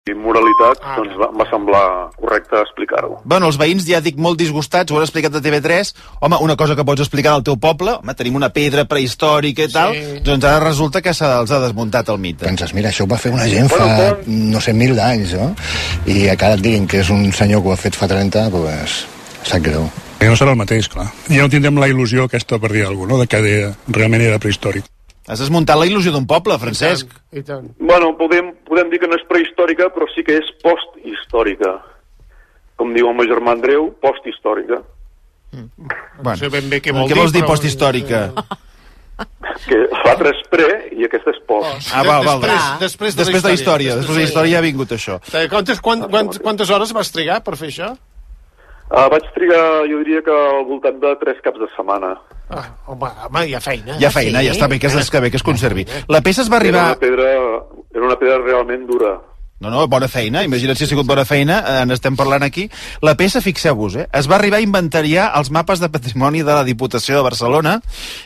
i moralitat, doncs em va semblar correcte explicar-ho. Bueno, els veïns, ja dic, molt disgustats, ho has explicat a TV3. Home, una cosa que pots explicar al teu poble, home, tenim una pedra prehistòrica i tal, doncs ara resulta que se'ls ha desmuntat el mite. Penses, mira, això ho va fer una gent fa, no sé, 1000 d'anys, no? I a cada et diguin que és un senyor que ho ha fet fa 30, doncs sap greu. No serà el mateix, clar. Ja no tindrem la il·lusió aquesta, per dir alguna cosa, no?, de que realment era prehistòric. Has desmuntat la il·lusió d'un poble, Francesc. I tant. Bueno, podem dir que no és prehistòrica, però sí que és posthistòrica. Com diu el meu germà Andreu, posthistòrica. Bueno, No sé ben bé què què vols dir posthistòrica? Que l'altre és pre i aquesta és post. Val. Després de la història. Després de la història ha vingut això. Quantes hores vas trigar per fer això? Vaig trigar, jo diria que al voltant de 3 caps de setmana. Home, hi ha feina. Hi ha feina, ja està bé que es conservi. La peça es va arribar... Era una pedra realment dura. No, bona feina, imagina't si ha sigut bona feina, n'estem parlant aquí. La peça, fixeu-vos, es va arribar a inventariar els mapes de patrimoni de la Diputació de Barcelona,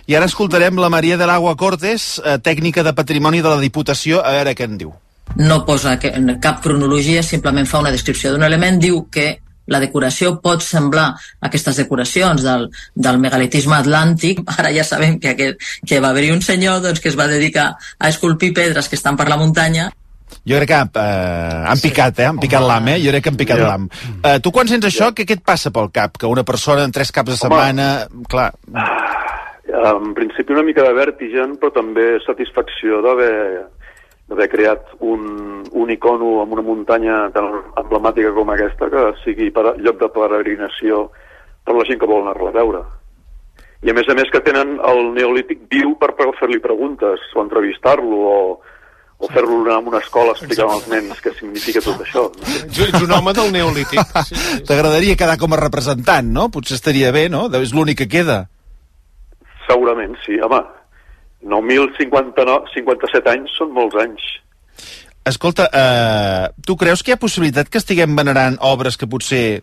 i ara escoltarem la Maria de l'Agua Cortes, tècnica de patrimoni de la Diputació, a veure què en diu. No posa cap cronologia, simplement fa una descripció d'un element, diu que la decoració pot semblar aquestes decoracions del megalitisme atlàntic. Ara ja sabem que va haver-hi un senyor que es va dedicar a esculpir pedres que estan per la muntanya. Jo crec que han picat, han picat l'am, Jo crec que han picat l'am. Tu quan sents això, què et passa pel cap? Que una persona en 3 caps de setmana... Clar. En principi una mica de vèrtigen, però també satisfacció d'haver creat un icono amb una muntanya tan emblemàtica com aquesta, que sigui lloc de peregrinació per la gent que vol anar-la a veure. I a més que tenen el neolític viu per fer-li preguntes, o entrevistar-lo, o fer-lo anar a una escola explicant als nens què significa tot això. Ets un home del neolític. T'agradaria quedar com a representant, no? Potser estaria bé, no? És l'únic que queda. Segurament, sí. Home, 9.057 anys són molts anys. Escolta, tu creus que hi ha possibilitat que estiguem venerant obres que potser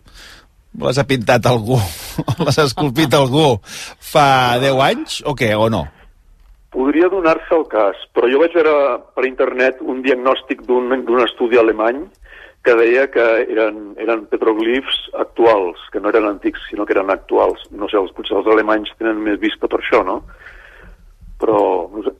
les ha pintat algú, o les ha esculpit algú fa 10 anys, o què, o no? Podria donar-se el cas, però jo vaig veure per internet un diagnòstic d'un estudi alemany que deia que eren petroglifs actuals, que no eren antics, sinó que eren actuals. No sé, potser els alemanys tenen més vista per això, no? Però, no sé...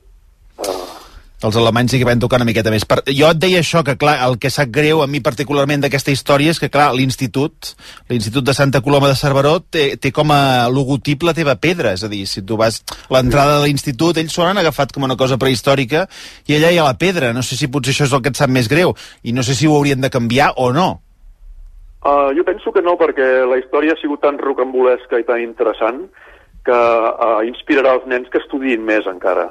Els alemanys sí que van tocar una miqueta més. Jo et deia això, que clar, el que sap greu a mi particularment d'aquesta història és que, clar, l'Institut de Santa Coloma de Cerveró té com a logotip la teva pedra, és a dir, si tu vas a l'entrada de l'institut, ells s'ho han agafat com una cosa prehistòrica i allà hi ha la pedra. No sé si potser això és el que et sap més greu i no sé si ho haurien de canviar o no. Jo penso que no, perquè la història ha sigut tan rocambolesca i tan interessant que inspirarà els nens que estudiïn més encara.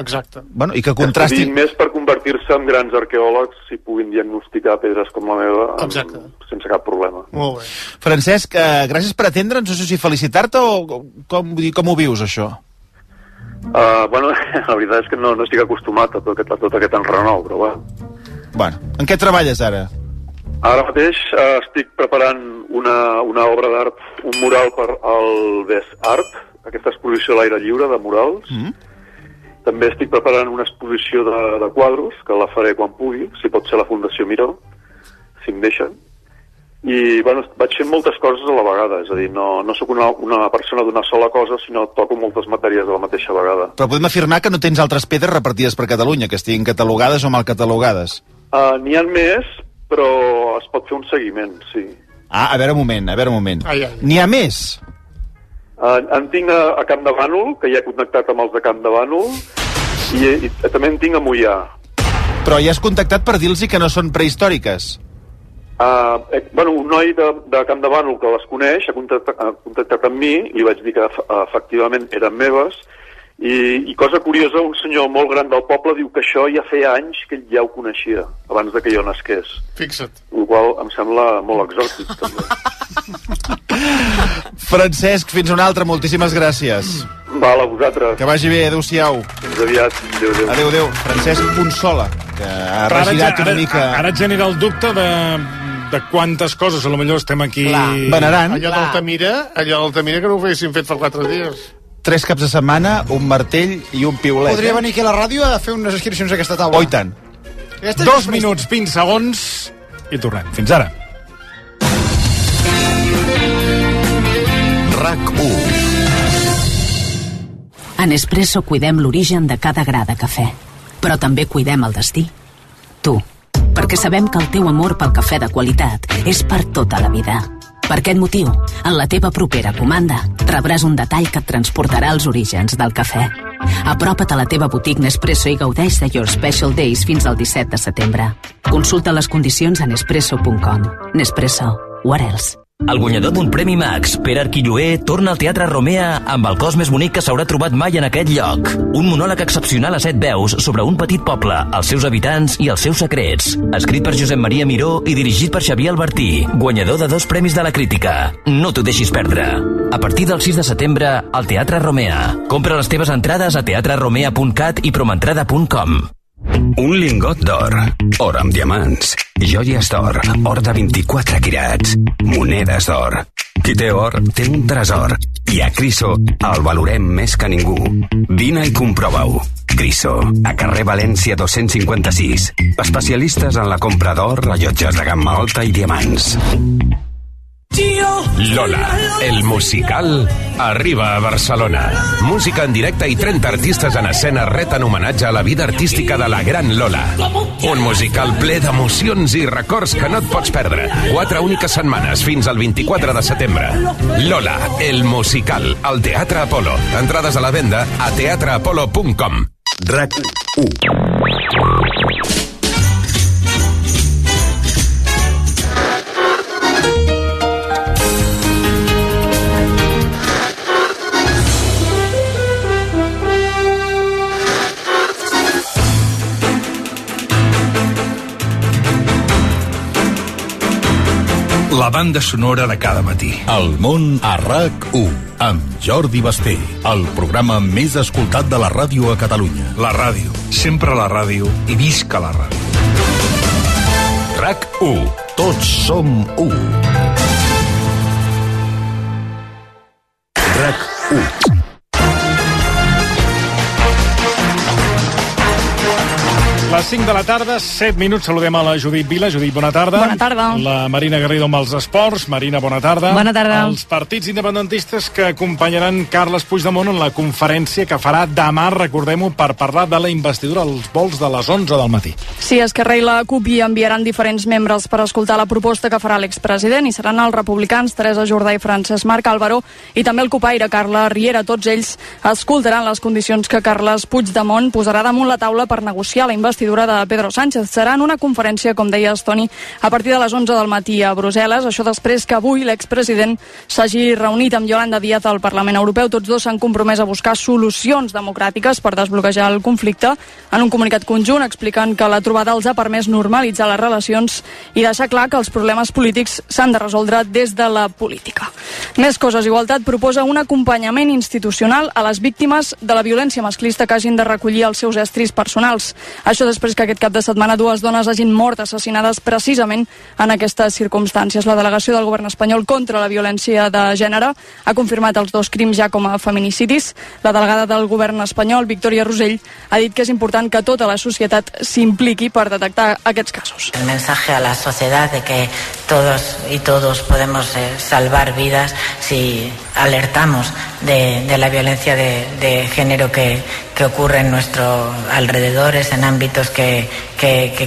Exacte. Bueno, i que contrastin... Estudiïn més per convertir-se en grans arqueòlegs i puguin diagnosticar pedres com la meva sense cap problema. Molt bé. Francesc, gràcies per atendre'ns. No sé si felicitar-te o com ho vius, això? Bueno, la veritat és que no estic acostumat a tot aquest enrenou, però bueno. Bueno, en què treballes ara? Ara mateix estic preparant una obra d'art, un mural per al Best Art, aquesta exposició a l'aire lliure de murals. També estic preparant una exposició de quadros, que la faré quan pugui, si pot ser la Fundació Miró, si em deixen. I, bueno, vaig fent moltes coses a la vegada, és a dir, no sóc una persona d'una sola cosa, sinó toco moltes matèries a la mateixa vegada. Però podem afirmar que no tens altres pedres repartides per Catalunya, que estiguin catalogades o mal catalogades? N'hi ha més, però es pot fer un seguiment, sí. A veure un moment. N'hi ha més? En tinc a Camp de Bànol, que ja he connectat amb els de Camp de Bànol, i també en tinc a Moià. Però ja has contactat per dir-los que no són prehistòriques? Bueno, un noi de Camp de Bànol que les coneix ha contactat amb mi, li vaig dir que efectivament eren meves, i cosa curiosa, un senyor molt gran del poble diu que això ja feia anys que ell ja ho coneixia, abans de que jo nasqués. Fixa't. El qual em sembla molt exòtic, també. Francesc, fins una altra, moltíssimes gràcies. Val, a vosaltres. Que vagi bé, adéu-siau. Fins aviat, adéu. Adéu. Francesc Punsola, que ha regirat una mica... Ara et genera el dubte de quantes coses, a lo millor estem aquí... Venerant. Allò d'Altamira que no ho haguessin fet fa 4 dies. 3 caps de setmana, un martell i un piulet. Podria venir aquí a la ràdio a fer unes inscripcions a aquesta taula. Oh, i tant. 2 minuts, 20 segons i tornem. Fins ara. RAC1. A Nespresso cuidem l'origen de cada gra de cafè, però també cuidem el destí. Tu, perquè sabem que el teu amor pel cafè de qualitat és per tota la vida. Per aquest motiu, en la teva propera comanda rebràs un detall que et transportarà als orígens del cafè. Apropa't a la teva botiga Nespresso i gaudeix de Your Special Days fins al 17 de setembre. Consulta les condicions a nespresso.com. Nespresso. What else? El guanyador d'un Premi Max, Pere Arquilloé, torna al Teatre Romea amb el cos més bonic que s'haurà trobat mai en aquest lloc. Un monòleg excepcional a 7 veus sobre un petit poble, els seus habitants i els seus secrets. Escrit per Josep Maria Miró i dirigit per Xavier Albertí, guanyador de 2 premis de la crítica. No t'ho deixis perdre. A partir del 6 de setembre, al Teatre Romea. Compra les teves entrades a teatreromea.cat i promentrada.com. Un lingot d'or, or amb diamants, joies d'or, or de 24 quirats, monedes d'or. Qui té or, té un tresor. I a Criso el valorem més que ningú. Vine i comprova-ho. Criso, a carrer València 256. Especialistes en la compra d'or, rellotges de gamma alta i diamants. Lola, el musical, arriba a Barcelona. Música en directe i 30 artistes en escena reten homenatge a la vida artística de la gran Lola. Un musical ple d'emocions i records que no et pots perdre. 4 úniques setmanes fins al 24 de setembre. Lola, el musical, al Teatre Apolo. Entrades a la venda a teatreapolo.com. RAC1. La banda sonora de cada matí. El món a RAC1, amb Jordi Basté, el programa més escoltat de la ràdio a Catalunya. La ràdio, sempre la ràdio i visca la ràdio. RAC1, tots som u. RAC1. Les 5 de la tarda, 7 minuts, saludem a la Judit Vila. Judit, bona tarda. Bona tarda. La Marina Garrido amb els esports. Marina, bona tarda. Bona tarda. Els partits independentistes que acompanyaran Carles Puigdemont en la conferència que farà demà, recordem-ho, per parlar de la investidura als vols de les 11 del matí. Sí, Esquerra i la CUP hi enviaran diferents membres per escoltar la proposta que farà l'expresident i seran els republicans Teresa Jordà i Francesc Marc Álvaro i també el copaire Carla Riera. Tots ells escoltaran les condicions que Carles Puigdemont posarà damunt la taula per negociar la investidura de Pedro Sánchez. Serà en una conferència, com deies, Toni, a partir de les 11 del matí a Brussel·les. Això després que avui l'expresident s'hagi reunit amb Yolanda Díaz al Parlament Europeu. Tots dos s'han compromès a buscar solucions democràtiques per desbloquejar el conflicte. En un comunicat conjunt expliquen que la trobada els ha permès normalitzar les relacions i deixar clar que els problemes polítics s'han de resoldre des de la política. Més coses. Igualtat proposa un acompanyament institucional a les víctimes de la violència masclista que hagin de recollir els seus estris personals. Això després que aquest cap de setmana 2 dones hagin mort assassinades precisament en aquestes circumstàncies. La delegació del govern espanyol contra la violència de gènere ha confirmat els 2 crims ja com a feminicidis. La delegada del govern espanyol, Victòria Rosell, ha dit que és important que tota la societat s'impliqui per detectar aquests casos. El mensaje a la sociedad de que todos y todos podemos salvar vidas si alertamos de la violencia de género que ocurre en nuestros alrededores, en ámbitos que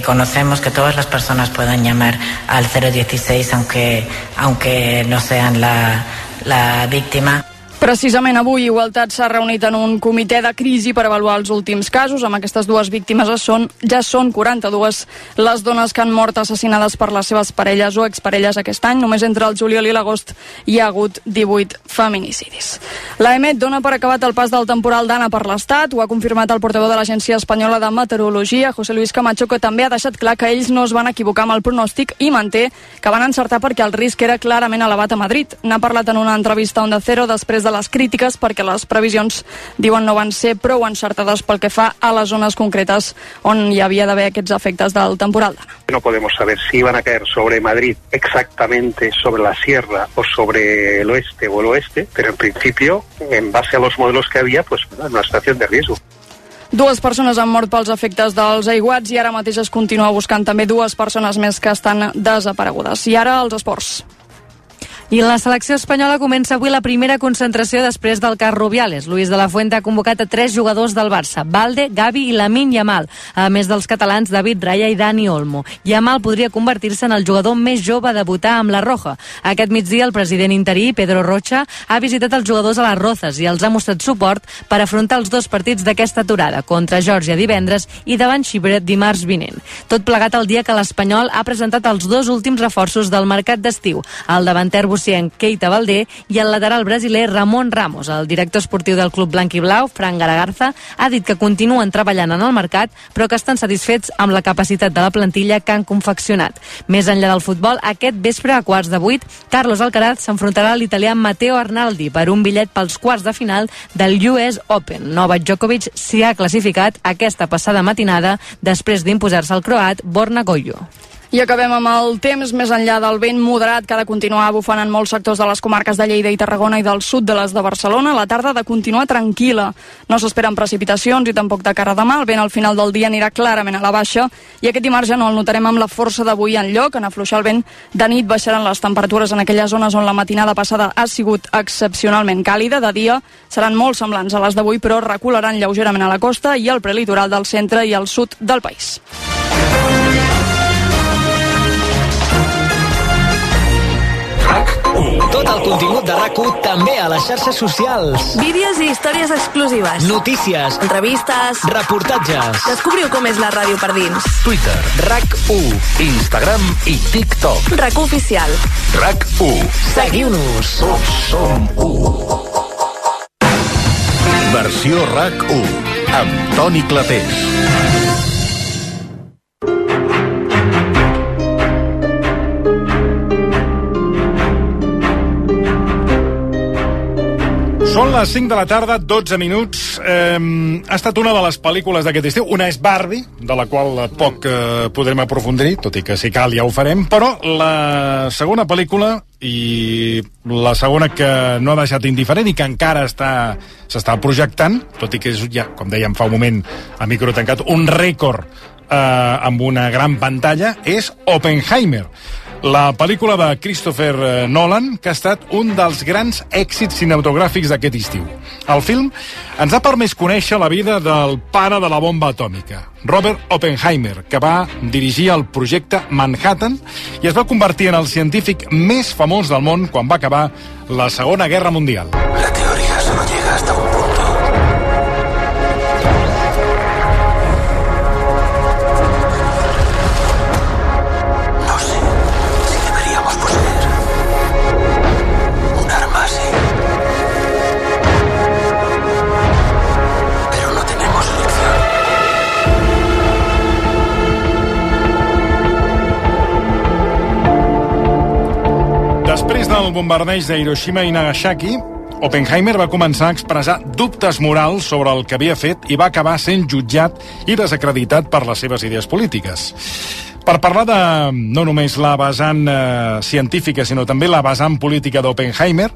conocemos, que todas las personas puedan llamar al 016 aunque no sean la víctima. Precisament avui Igualtat s'ha reunit en un comitè de crisi per avaluar els últims casos. Amb aquestes 2 víctimes ja són 42 les dones que han mort assassinades per les seves parelles o exparelles aquest any. Només entre el juliol i l'agost hi ha hagut 18 feminicidis. L'AEMET dona per acabat el pas del temporal Dana per l'Estat. Ho ha confirmat el portaveu de l'Agència Espanyola de Meteorologia, José Luis Camacho, que també ha deixat clar que ells no es van equivocar amb el pronòstic i manté que van encertar perquè el risc era clarament elevat a Madrid. N'ha parlat en una entrevista a Onda Cero després de les crítiques perquè les previsions, diuen, no van ser prou encertades pel que fa a les zones concretes on hi havia d'haver aquests efectes del temporal Dana. No podemos saber si iban a caer sobre Madrid exactamente sobre la sierra o sobre el oeste o el oeste, pero en principio, en base a los modelos que había, pues en una situación de riesgo. 2 persones han mort pels efectes dels aiguats i ara mateix es continua buscant també 2 persones més que estan desaparegudes. I ara els esports. I la selecció espanyola comença avui la primera concentració després del cas Rubiales. Luis de la Fuente ha convocat a 3 jugadors del Barça, Balde, Gavi i Lamine Yamal, a més dels catalans David Raya i Dani Olmo. Yamal podria convertir-se en el jugador més jove a debutar amb la Roja. Aquest migdia el president interí, Pedro Rocha, ha visitat els jugadors a les Rozas i els ha mostrat suport per afrontar els 2 partits d'aquesta aturada, contra Geòrgia divendres i davant Xipre dimarts vinent. Tot plegat el dia que l'Espanyol ha presentat els 2 últims reforços del mercat d'estiu, el davanter Keita Valdé i el lateral brasiler Ramon Ramos. El director esportiu del club blanc i blau, Fran Garagarza, ha dit que continuen treballant en el mercat, però que estan satisfets amb la capacitat de la plantilla que han confeccionat. Més enllà del futbol, aquest vespre a 7:15, Carlos Alcaraz s'enfrontarà a l'italià Matteo Arnaldi per un bitllet pels quarts de final del US Open. Novak Djokovic s'hi ha classificat aquesta passada matinada després d'imposar-se al croat Borna Gojo. I acabem amb el temps. Més enllà del vent moderat que ha de continuar bufant en molts sectors de les comarques de Lleida i Tarragona i del sud de les de Barcelona, la tarda ha de continuar tranquil·la. No s'esperen precipitacions i tampoc de cara a demà. El vent al final del dia anirà clarament a la baixa i aquest dimarts ja no el notarem amb la força d'avui enlloc. En afluixar el vent de nit baixaran les temperatures en aquelles zones on la matinada passada ha sigut excepcionalment càlida. De dia seran molt semblants a les d'avui, però recularan lleugerament a la costa i al prelitoral del centre i al sud del país. Tot el contingut de RAC1 també a les xarxes socials. Vídeos i històries exclusives. Notícies. Entrevistes. Reportatges. Descobriu com és la ràdio per dins. Twitter, RAC1, Instagram i TikTok. RAC1 oficial. RAC1. Seguiu-nos. Tots som 1. Versió RAC1 amb Toni Clapés. Són les 5 de la tarda, 12 minuts. Ha estat una de les pel·lícules d'aquest estiu. Una és Barbie, de la qual poc podrem aprofundir, tot i que si cal ja ho farem, però la segona pel·lícula i la segona que no ha deixat indiferent i que encara s'està projectant, tot i que és ja, com dèiem fa un moment a micro tancat, un rècord amb una gran pantalla, és Oppenheimer, la pel·lícula de Christopher Nolan, que ha estat un dels grans èxits cinematogràfics d'aquest estiu. El film ens ha permès conèixer la vida del pare de la bomba atòmica, Robert Oppenheimer, que va dirigir el projecte Manhattan i es va convertir en el científic més famós del món quan va acabar la Segona Guerra Mundial. La teoría solo llega hasta un punto. Després del bombardeig de Hiroshima i Nagasaki, Oppenheimer va començar a expressar dubtes morals sobre el que havia fet i va acabar sent jutjat i desacreditat per les seves idees polítiques. Per parlar de no només la vessant científica, sinó també la vessant política d'Oppenheimer,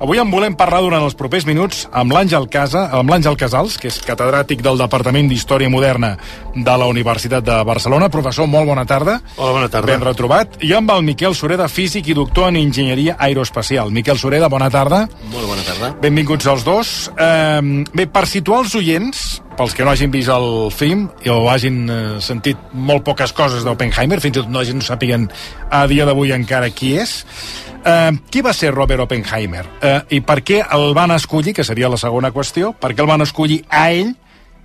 avui en volem parlar durant els propers minuts amb l'Àngel Casals, que és catedràtic del Departament d'Història Moderna de la Universitat de Barcelona. Professor, molt bona tarda. Hola, bona tarda. Ben retrobat. I amb el Miquel Sureda, físic i doctor en Enginyeria Aeroespacial. Miquel Sureda, bona tarda. Molt bona tarda. Benvinguts els dos. Bé, per situar els oients, pels que no hagin vist el film o hagin sentit molt poques coses d'Oppenheimer, fins i tot no sàpiguen a dia d'avui encara qui és, qui va ser Robert Oppenheimer? I per què el van escollir, que seria la segona qüestió, per què el van escollir a ell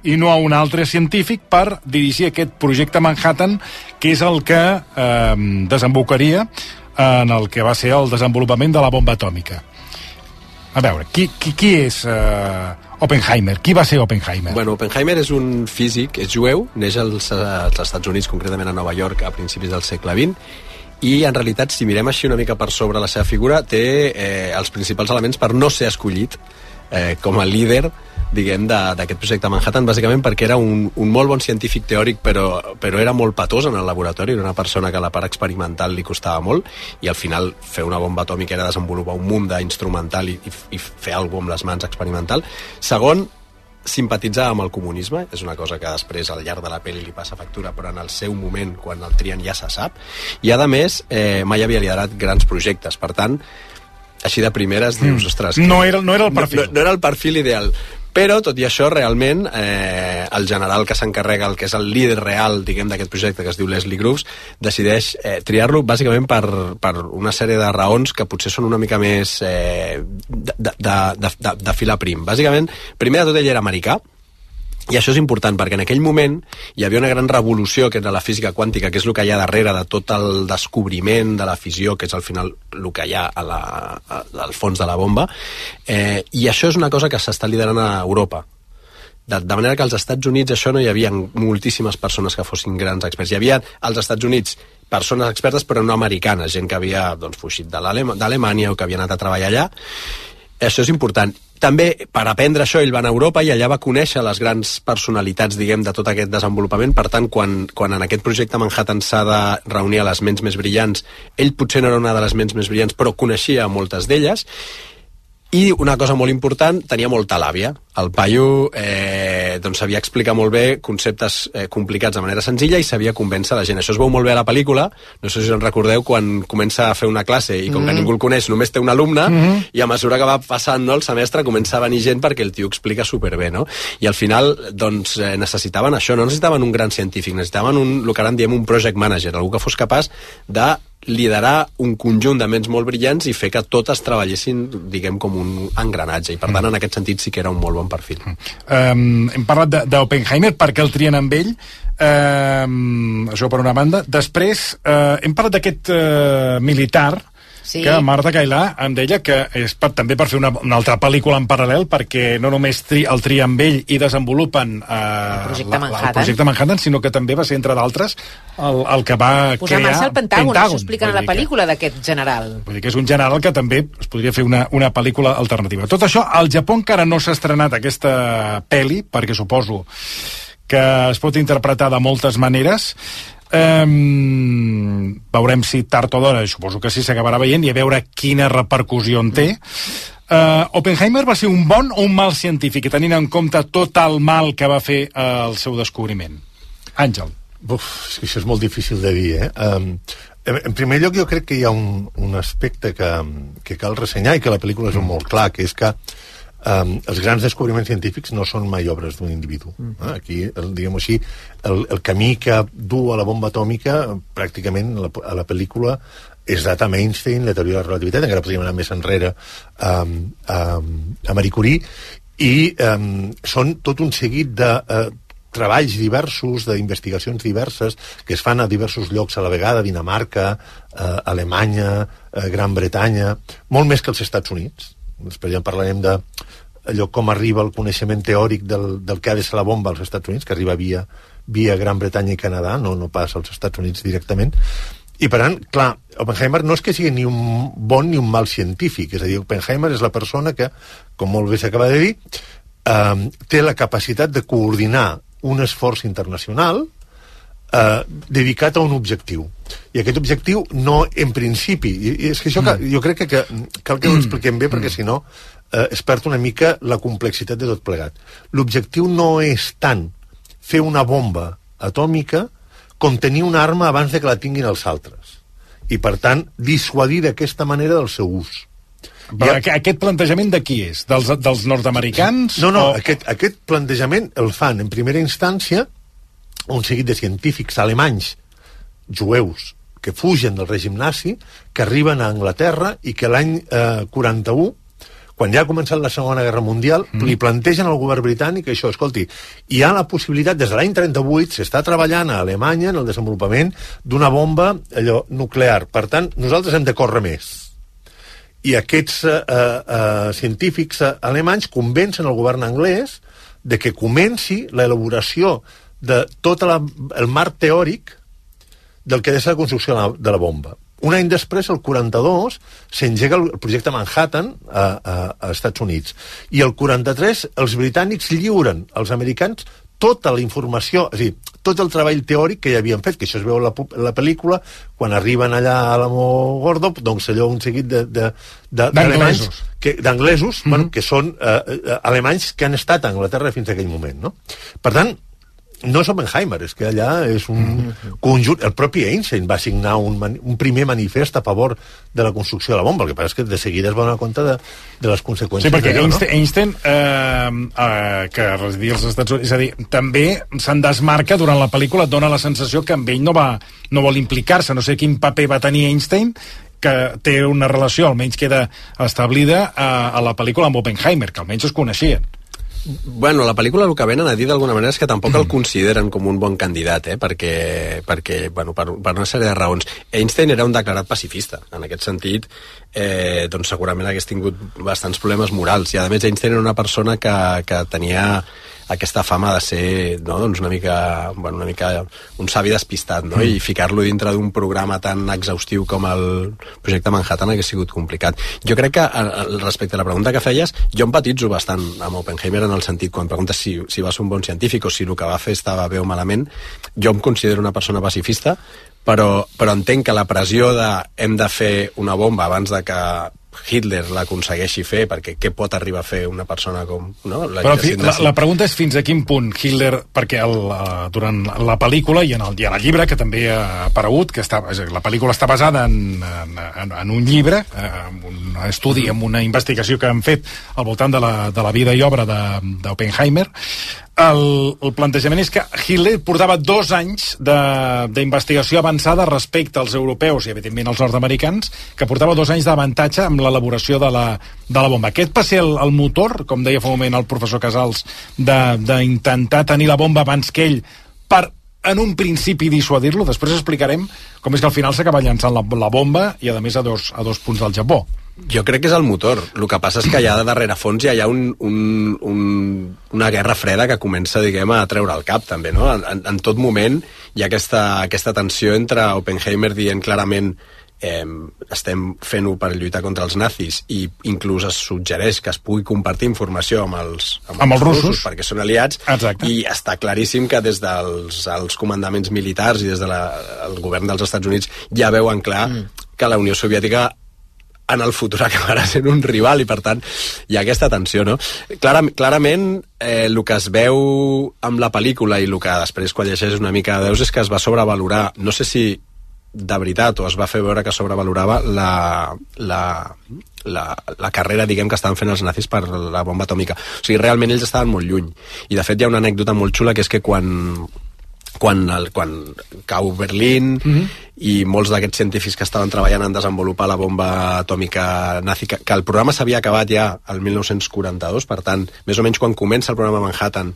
i no a un altre científic per dirigir aquest projecte Manhattan, que és el que desembocaria en el que va ser el desenvolupament de la bomba atòmica? A veure, qui és Oppenheimer? Qui va ser Oppenheimer? Bueno, Oppenheimer és un físic, és jueu, neix als Estats Units, concretament a Nova York, a principis del segle XX, i en realitat, si mirem així una mica per sobre la seva figura, té els principals elements per no ser escollit com a líder, diguem, d'aquest projecte Manhattan, bàsicament perquè era un molt bon científic teòric, però era molt patós en el laboratori, era una persona que a la part experimental li costava molt, i al final fer una bomba atòmica era desenvolupar un munt d'instrumental i fer alguna cosa amb les mans experimental. Segon, simpatitzar amb el comunisme, és una cosa que després al llarg de la pel·li li passa factura, però en el seu moment, quan el trien, ja se sap, i a més mai havia liderat grans projectes, per tant així de primeres dius, ostres, no era el perfil. No era el perfil ideal, però tot i això realment el general que s'encarrega, el que és el líder real, diguem, d'aquest projecte, que es diu Leslie Groves, decideix triar-lo bàsicament per una sèrie de raons que potser són una mica més de filar prim. Bàsicament, primer de tot ell era americà, i això és important perquè en aquell moment hi havia una gran revolució que era la física quàntica, que és el que hi ha darrere de tot el descobriment de la fissió, que és al final el que hi ha al fons de la bomba, i això és una cosa que s'està liderant a Europa. De manera que als Estats Units això no hi havia moltíssimes persones que fossin grans experts. Hi havia als Estats Units persones expertes però no americanes, gent que havia fugit d'Alemanya o que havia anat a treballar allà. Això és important. També, per aprendre això, ell va anar a Europa i allà va conèixer les grans personalitats, diguem, de tot aquest desenvolupament. Per tant, quan en aquest projecte Manhattan s'ha de reunir a les ments més brillants, ell potser no era una de les ments més brillants, però coneixia moltes d'elles. I una cosa molt important, tenia molta làbia. El paio sabia explicar molt bé conceptes complicats de manera senzilla i sabia convèncer la gent. Això es veu molt bé a la pel·lícula, no sé si us en recordeu, quan comença a fer una classe i com que ningú el coneix, només té un alumne, i a mesura que va passant el semestre comença a venir gent perquè el tio explica superbé, no? I al final necessitaven això, no necessitaven un gran científic, necessitaven el que ara en diem un project manager, algú que fos capaç de liderar un conjunt de ments molt brillants i fer que totes treballessin, diguem, com un engranatge, i per tant en aquest sentit sí que era un molt bon perfil. Hem parlat d'Oppenheimer, per què el trien amb ell, això per una banda. Després hem parlat d'aquest militar, sí, que Marta Cailà em deia que és també per fer una altra pel·lícula en paral·lel, perquè no només el tria amb ell i desenvolupen el projecte Manhattan, sinó que també va ser, entre d'altres, el que va posar crear marxa el Pentàgon. Això explica en la pel·lícula d'aquest general. Vull dir que és un general que també es podria fer una pel·lícula alternativa. Tot això, al Japó encara no s'ha estrenat aquesta pel·li, perquè suposo que es pot interpretar de moltes maneres. Veurem si tard o d'hora, suposo que sí, s'acabarà veient, i a veure quina repercussió en té. Oppenheimer va ser un bon o un mal científic, tenint en compte tot el mal que va fer el seu descobriment? Àngel. És que això és molt difícil de dir, En primer lloc, jo crec que hi ha un aspecte que cal ressenyar i que la pel·lícula és molt clar, que és que els grans descobriments científics no són mai obres d'un individu. Aquí, diguem-ho així, el camí que du a la bomba atòmica, pràcticament a la pel·lícula, és data amb Einstein, la teoria de la relativitat, encara podríem anar més enrere a Marie Curie, i són tot un seguit de treballs diversos, d'investigacions diverses, que es fan a diversos llocs a la vegada, Dinamarca, Alemanya, Gran Bretanya, molt més que els Estats Units. Després ja en parlarem d'allò com arriba el coneixement teòric del que ha de ser la bomba als Estats Units, que arriba via Gran Bretanya i Canadà, no pas als Estats Units directament. I per tant, clar, Oppenheimer no és que sigui ni un bon ni un mal científic, és a dir, Oppenheimer és la persona que, com molt bé s'acaba de dir, té la capacitat de coordinar un esforç internacional dedicat a un objectiu. I aquest objectiu no, en principi, i és que això jo crec que cal que ho expliquem bé, perquè si no es perd una mica la complexitat de tot plegat. L'objectiu no és tant fer una bomba atòmica com tenir una arma abans de que la tinguin els altres. I, per tant, dissuadir d'aquesta manera del seu ús. Però aquest plantejament de qui és? Dels nord-americans? No, aquest plantejament el fan en primera instància un seguit de científics alemanys, jueus, que fugen del règim nazi, que arriben a Anglaterra i que l'any 41, quan ja ha començat la Segona Guerra Mundial, li plantegen al govern britànic això, escolti, hi ha la possibilitat, des de l'any 38, s'està treballant a Alemanya en el desenvolupament d'una bomba nuclear. Per tant, nosaltres hem de córrer més. I aquests científics alemanys convencen el govern anglès de que comenci l'elaboració de tot el marc teòric del que ha de ser la construcció de la bomba. Un any després, el 42, s'engega el projecte Manhattan a Estats Units. I el 43, els britànics lliuren als americans tota la informació, és a dir, tot el treball teòric que ja havien fet, que això es veu a la pel·lícula, quan arriben allà a l'Amogordo, doncs allò un seguit d'anglesos, bueno, que són alemanys que han estat a Anglaterra fins a aquell moment, no? Per tant, no és Oppenheimer, és que allà és un conjunt... El propi Einstein va signar un primer manifest a favor de la construcció de la bomba, el que passa és que de seguida es va donar compte de les conseqüències. Sí, perquè d'allò, no? Einstein, que residia als Estats Units, és a dir, també se'n desmarca durant la pel·lícula, et dona la sensació que amb ell no vol implicar-se, no sé quin paper va tenir Einstein, que té una relació, almenys queda establida a la pel·lícula amb Oppenheimer, que almenys es coneixien. Bueno, la pel·lícula el que venen a dir d'alguna manera és que tampoc el consideren com un bon candidat, perquè bueno, per una sèrie de raons. Einstein era un declarat pacifista. En aquest sentit, doncs segurament hagués tingut bastants problemes morals. I a més, Einstein era una persona que tenia aquesta fama de ser, no, doncs una mica un savi despistat, no? I ficar-lo dintre d'un programa tan exhaustiu com el projecte Manhattan hagués sigut complicat. Jo crec que, respecte a la pregunta que feies, jo empatitzo bastant amb Oppenheimer en el sentit, quan preguntes si va ser un bon científic o si el que va fer estava bé o malament, jo em considero una persona pacifista, però entenc que la pressió de hem de fer una bomba abans de que Hitler l'aconsegueixi fer, perquè què pot arribar a fer una persona com... No? La pregunta és fins a quin punt Hitler, perquè durant la pel·lícula i en el llibre, que també ha aparegut, la pel·lícula està basada en un llibre, un estudi, en una investigació que han fet al voltant de la vida i obra d'Oppenheimer. El plantejament és que Hitler portava 2 anys d'investigació avançada respecte als europeus i evidentment als nord-americans, que portava 2 anys d'avantatge amb l'elaboració de la bomba. Aquest va ser el motor, com deia fa un moment el professor Casals, d'intentar tenir la bomba abans que ell per en un principi dissuadir-lo. Després explicarem com és que al final s'acaba llançant la bomba i a més a dos punts del Japó. Jo crec que és el motor. El que passa és que allà de fons hi ha una guerra freda que comença, diguem, a treure el cap, també, no? En tot moment hi ha aquesta tensió entre Oppenheimer dient clarament estem fent-ho per lluitar contra els nazis, i inclús es suggereix que es pugui compartir informació amb els russos perquè són aliats. Exacte. I està claríssim que des dels comandaments militars i des del govern dels Estats Units ja veuen clar que la Unió Soviètica en el futur acabarà sent un rival, i per tant hi ha aquesta tensió, no? Clarament el que es veu amb la pel·lícula i el que després quan llegeixes una mica veus és que es va sobrevalorar, no sé si de veritat o es va fer veure que sobrevalorava la carrera, diguem, que estaven fent els nazis per la bomba atòmica. O sigui, realment ells estaven molt lluny, i de fet hi ha una anècdota molt xula, que és que quan cau Berlín i molts d'aquests científics que estaven treballant en desenvolupar la bomba atòmica nazi, que el programa s'havia acabat ja el 1942, per tant, més o menys quan comença el programa Manhattan,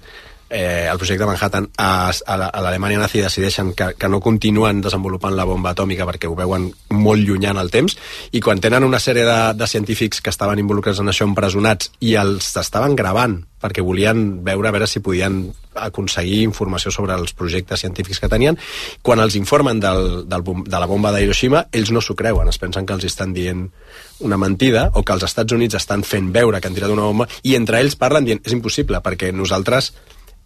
el projecte Manhattan, a l'Alemanya nazi decideixen que no continuen desenvolupant la bomba atòmica perquè ho veuen molt llunyà en el temps, i quan tenen una sèrie de científics que estaven involucrats en això empresonats i els estaven gravant perquè volien veure a veure si podien aconseguir informació sobre els projectes científics que tenien, quan els informen de la bomba d'Hiroshima, ells no s'ho creuen, es pensen que els estan dient una mentida, o que els Estats Units estan fent veure que han tirat una bomba, i entre ells parlen dient, és impossible, perquè nosaltres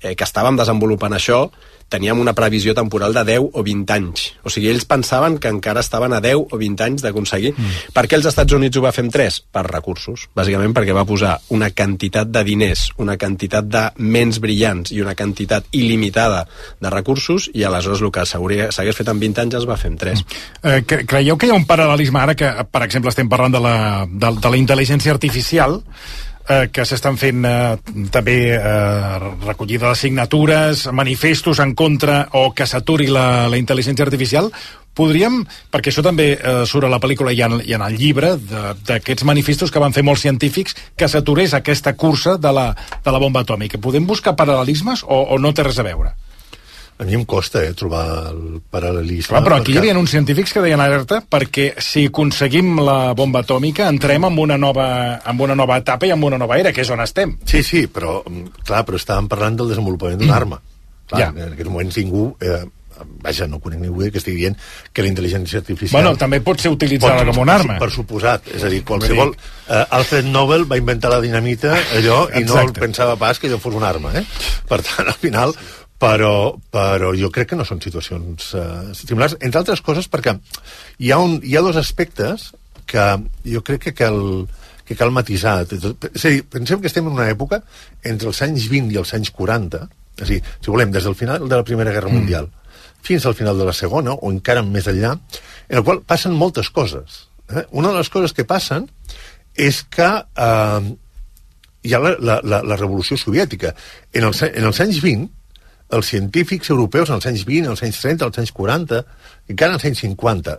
que estàvem desenvolupant això teníem una previsió temporal de 10 o 20 anys. O sigui, ells pensaven que encara estaven a 10 o 20 anys d'aconseguir. Per què els Estats Units ho va fer en 3? Per recursos. Bàsicament perquè va posar una quantitat de diners, una quantitat de ments brillants i una quantitat il·limitada de recursos, i aleshores el que s'hagués fet en 20 anys es va fer en 3. Creieu que hi ha un paral·lelisme ara que, per exemple, estem parlant de la intel·ligència artificial, que s'estan fent també recollida de signatures, manifestos en contra, o que s'aturi la intel·ligència artificial? Podríem, perquè això també surt a la pel·lícula i en el llibre, d'aquests manifestos que van fer molts científics, que s'aturés aquesta cursa de la bomba atòmica. Podem buscar paral·lelismes o no té res a veure? A mi em costa trobar el paral·lelisme. Clar, però aquí hi havia uns científics que deien alerta perquè si aconseguim la bomba atòmica entrem en una nova etapa i en una nova era, que és on estem. Sí, però estàvem parlant del desenvolupament d'una arma. Clar, en aquests moments ningú vaja, no conec ningú que estigui dient que la intel·ligència artificial... Bueno, també pot ser utilitzada com una arma. Per suposat, és a dir, qualsevol... Alfred Nobel va inventar la dinamita, allò, i no pensava pas que allò fos una arma, Per tant, al final... Però jo crec que no són situacions similars, entre altres coses perquè hi ha dos aspectes que jo crec que cal matisar. És a dir, pensem que estem en una època entre els anys 20 i els anys 40, és a dir, si volem, des del final de la Primera Guerra Mundial fins al final de la Segona, o encara més enllà, en el qual passen moltes coses. Una de les coses que passen és que hi ha la Revolució Soviètica. En els anys 20, els científics europeus als anys 20, als anys 30, als anys 40, encara als anys 50,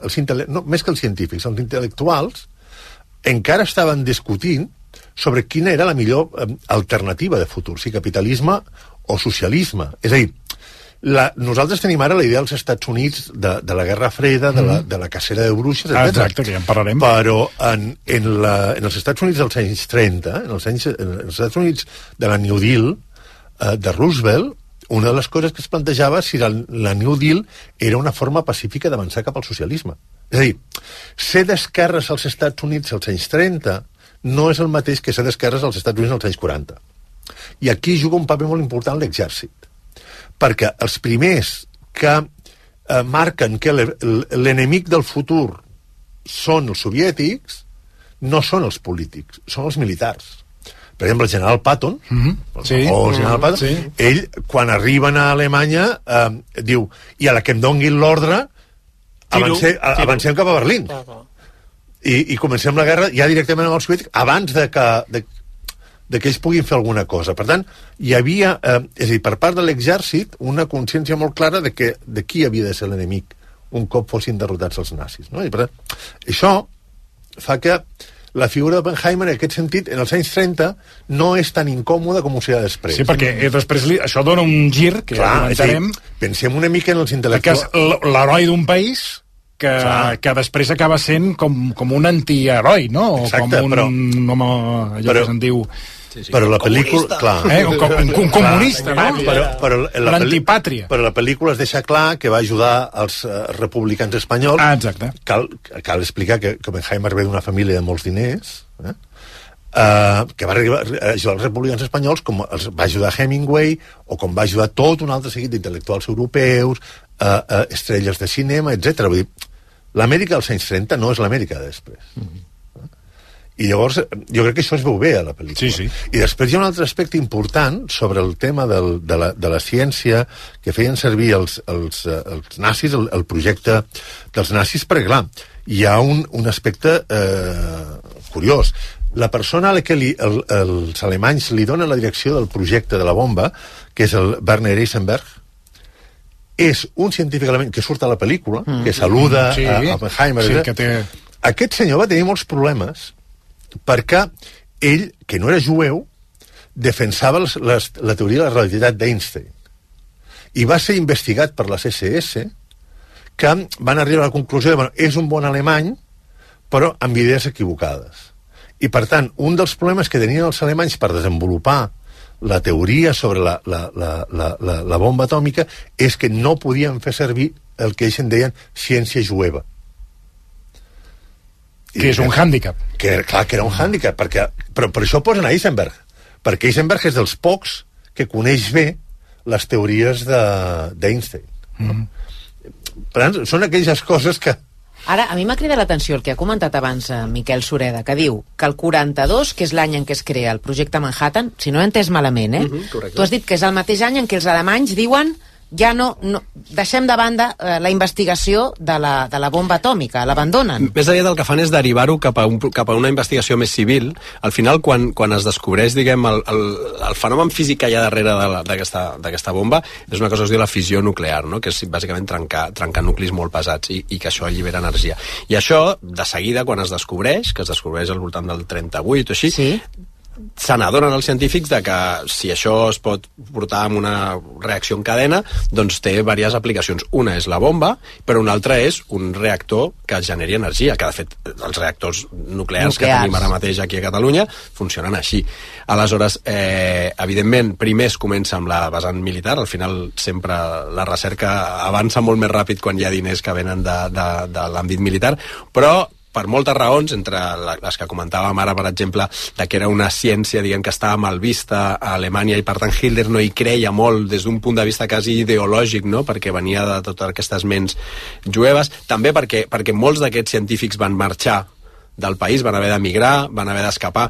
més que els científics, els intel·lectuals encara estaven discutint sobre quina era la millor alternativa de futur, si capitalisme o socialisme. És a dir, nosaltres tenim ara la idea dels Estats Units de la Guerra Freda, de la cacera de bruixes, etc. Exacte, que ja en parlarem. Però en els Estats Units dels anys 30, en els Estats Units de la New Deal, de Roosevelt, una de les coses que es plantejava si la New Deal era una forma pacífica d'avançar cap al socialisme. És a dir, ser d'esquerres als Estats Units als anys 30 no és el mateix que ser d'esquerres als Estats Units als anys 40. I aquí juga un paper molt important l'exèrcit. Perquè els primers que marquen que l'enemic del futur són els soviètics no són els polítics, són els militars. Per exemple, el general Patton, ell, quan arriben a Alemanya, diu, i a la que em donguin l'ordre, avancem cap a Berlín. I comencem la guerra ja directament amb els soviètics, abans de que ells puguin fer alguna cosa. Per tant, hi havia, és a dir, per part de l'exèrcit, una consciència molt clara de qui havia de ser l'enemic un cop fossin derrotats els nazis. I per tant, això fa que la figura d'Oppenheimer, en aquest sentit, en els anys 30, no és tan incòmoda com ho serà després. Sí, perquè després això dona un gir, que ja comentarem. Pensem una mica en els intel·lectuals. Que és l'heroi d'un país que després acaba sent com un antiheroi, no? Exacte, com un home, allò que se'n diu... Però la pel·lícula... Un comunista, no? L'antipàtria. Però la pel·lícula es deixa clar que va ajudar els republicans espanyols. Exacte. Cal explicar que Oppenheimer ve d'una família de molts diners, que va ajudar els republicans espanyols com els va ajudar Hemingway o com va ajudar tot un altre seguit d'intel·lectuals europeus, estrelles de cinema, etc. Vull dir, l'Amèrica dels anys 30 no és l'Amèrica de després. I llavors, jo crec que això es veu bé a la pel·lícula. Sí. I després hi ha un altre aspecte important sobre el tema de la ciència que feien servir els nazis, el projecte dels nazis, perquè, clar, hi ha un aspecte curiós. La persona a la que els alemanys li donen la direcció del projecte de la bomba, que és el Werner Heisenberg, és un científic alemany que surt a la pel·lícula, que saluda a Oppenheimer. Aquest senyor va tenir molts problemes perquè ell, que no era jueu, defensava la teoria de la relativitat d'Einstein. I va ser investigat per les SS, que van arribar a la conclusió de és un bon alemany, però amb idees equivocades. I, per tant, un dels problemes que tenien els alemanys per desenvolupar la teoria sobre la bomba atòmica és que no podien fer servir el que ells en deien ciència jueva. Que és un hàndicap. Clar, que era un hàndicap, però per això posen a Heisenberg, perquè Heisenberg és dels pocs que coneix bé les teories d'Einstein. Per tant, són aquelles coses que... Ara, a mi m'ha cridat l'atenció el que ha comentat abans Miquel Sureda, que diu que el 42, que és l'any en què es crea el projecte Manhattan, si no he entès malament, tu has dit que és el mateix any en què els alemanys diuen ja no deixem de banda la investigació de la bomba atòmica, l'abandonen. Més aviat el que fan és derivar-ho cap a una investigació més civil. Al final, quan es descobreix, diguem, el fenomen físic que hi ha darrere d'aquesta bomba, és una cosa que es diu la fissió nuclear, no? Que és bàsicament trencar nuclis molt pesats i que això allibera energia. I això, de seguida, quan es descobreix, que es descobreix al voltant del 38 o així, se n'adonen els científics de que si això es pot portar amb una reacció en cadena, doncs té diverses aplicacions. Una és la bomba, però una altra és un reactor que generi energia, que de fet els reactors nuclears que tenim ara mateix aquí a Catalunya funcionen així. Aleshores, evidentment, primer es comença amb la vessant militar, al final sempre la recerca avança molt més ràpid quan hi ha diners que venen de l'àmbit militar, però per moltes raons, entre les que comentàvem ara, per exemple, de que era una ciència, diguem, que estava mal vista a Alemanya i per tant Hitler no hi creia molt des d'un punt de vista quasi ideològic, no? Perquè venia de totes aquestes ments jueves, també perquè molts d'aquests científics van marxar del país, van haver d'emigrar, van haver d'escapar,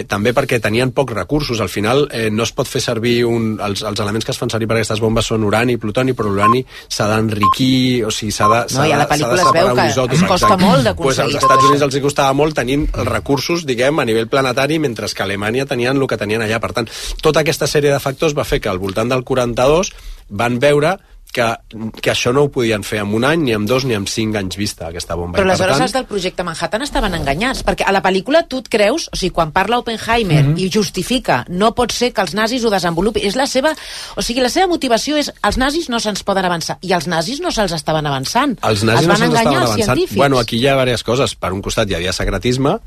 també perquè tenien pocs recursos. Al final no es pot fer servir els elements que es fan servir per aquestes bombes són urani i plutoni, però l'urani s'ha d'enriquir, o sigui, s'ha de i a la pel·lícula es veu que es costa molt d'aconseguir als Estats Units els costava molt tenint els recursos, diguem, a nivell planetari, mentre que a Alemanya tenien el que tenien allà. Per tant, tota aquesta sèrie de factors va fer que al voltant del 42 van veure que això no ho podien fer en un any, ni en 2, ni en 5 anys vista, aquesta bomba. Però aleshores els del projecte Manhattan estaven enganyats, perquè a la pel·lícula tu et creus, o sigui, quan parla Oppenheimer i justifica, no pot ser que els nazis ho desenvolupin, és la seva, o sigui, la seva motivació és els nazis no se'ns poden avançar, i els nazis no se'ls estaven avançant. Els nazis no se'ls estaven avançant. Bueno, aquí hi ha diverses coses. Per un costat hi havia secretisme,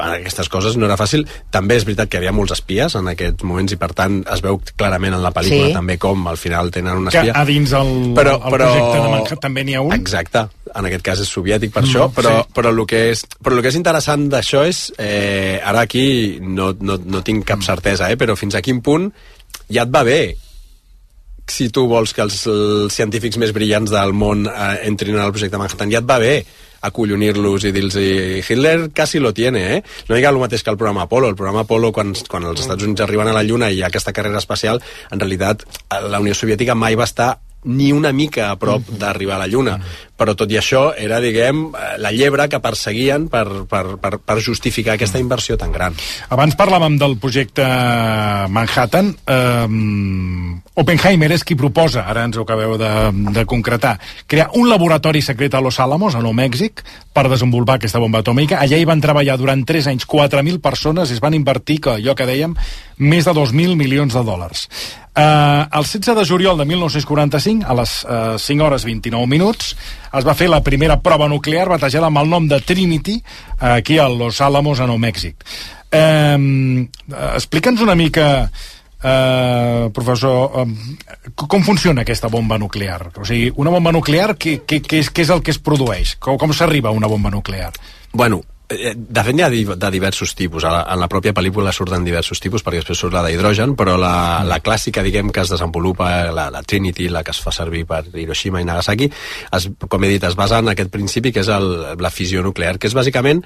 aquestes coses no era fàcil. També és veritat que hi havia molts espies en aquests moments i per tant es veu clarament en la pel·lícula també com al final tenen un espia. Que a dins el projecte de Manhattan també n'hi ha un. Exacte, en aquest cas és soviètic per això, però el que és interessant d'això és, ara aquí no tinc cap certesa, però fins a quin punt ja et va bé si tu vols que els científics més brillants del món entrin al projecte Manhattan, ja et va bé acollonir-los i dir-los Hitler quasi lo tiene, No hi ha el mateix que el programa Apollo. El programa Apollo, quan els Estats Units arriben a la Lluna i hi ha aquesta carrera espacial, en realitat la Unió Soviètica mai va estar ni una mica a prop d'arribar a la Lluna. Però tot i això era, diguem, la llebre que perseguien per justificar aquesta inversió tan gran. Abans parlàvem del projecte Manhattan. Oppenheimer és qui proposa, ara ens ho acabeu de concretar, crear un laboratori secret a Los Alamos, a Nou Mèxic, per desenvolupar aquesta bomba atòmica. Allà hi van treballar durant 3 anys 4.000 persones i es van invertir, allò que dèiem, més de 2.000 milions de dòlars. El 16 de juliol de 1945, a les 5 hores 29 minuts, es va fer la primera prova nuclear batejada amb el nom de Trinity aquí a Los Alamos, a Nou Mèxic. Explica'ns una mica, professor, com funciona aquesta bomba nuclear? O sigui, una bomba nuclear, què és el que es produeix? Com s'arriba a una bomba nuclear? Bueno, de fet n'hi ha de diversos tipus. En la pròpia pel·lícula surten diversos tipus, perquè després surt la d'hidrogen, però la clàssica, diguem, que es desenvolupa, la Trinity, la que es fa servir per Hiroshima i Nagasaki, com he dit, es basa en aquest principi que és la fissió nuclear, que és bàsicament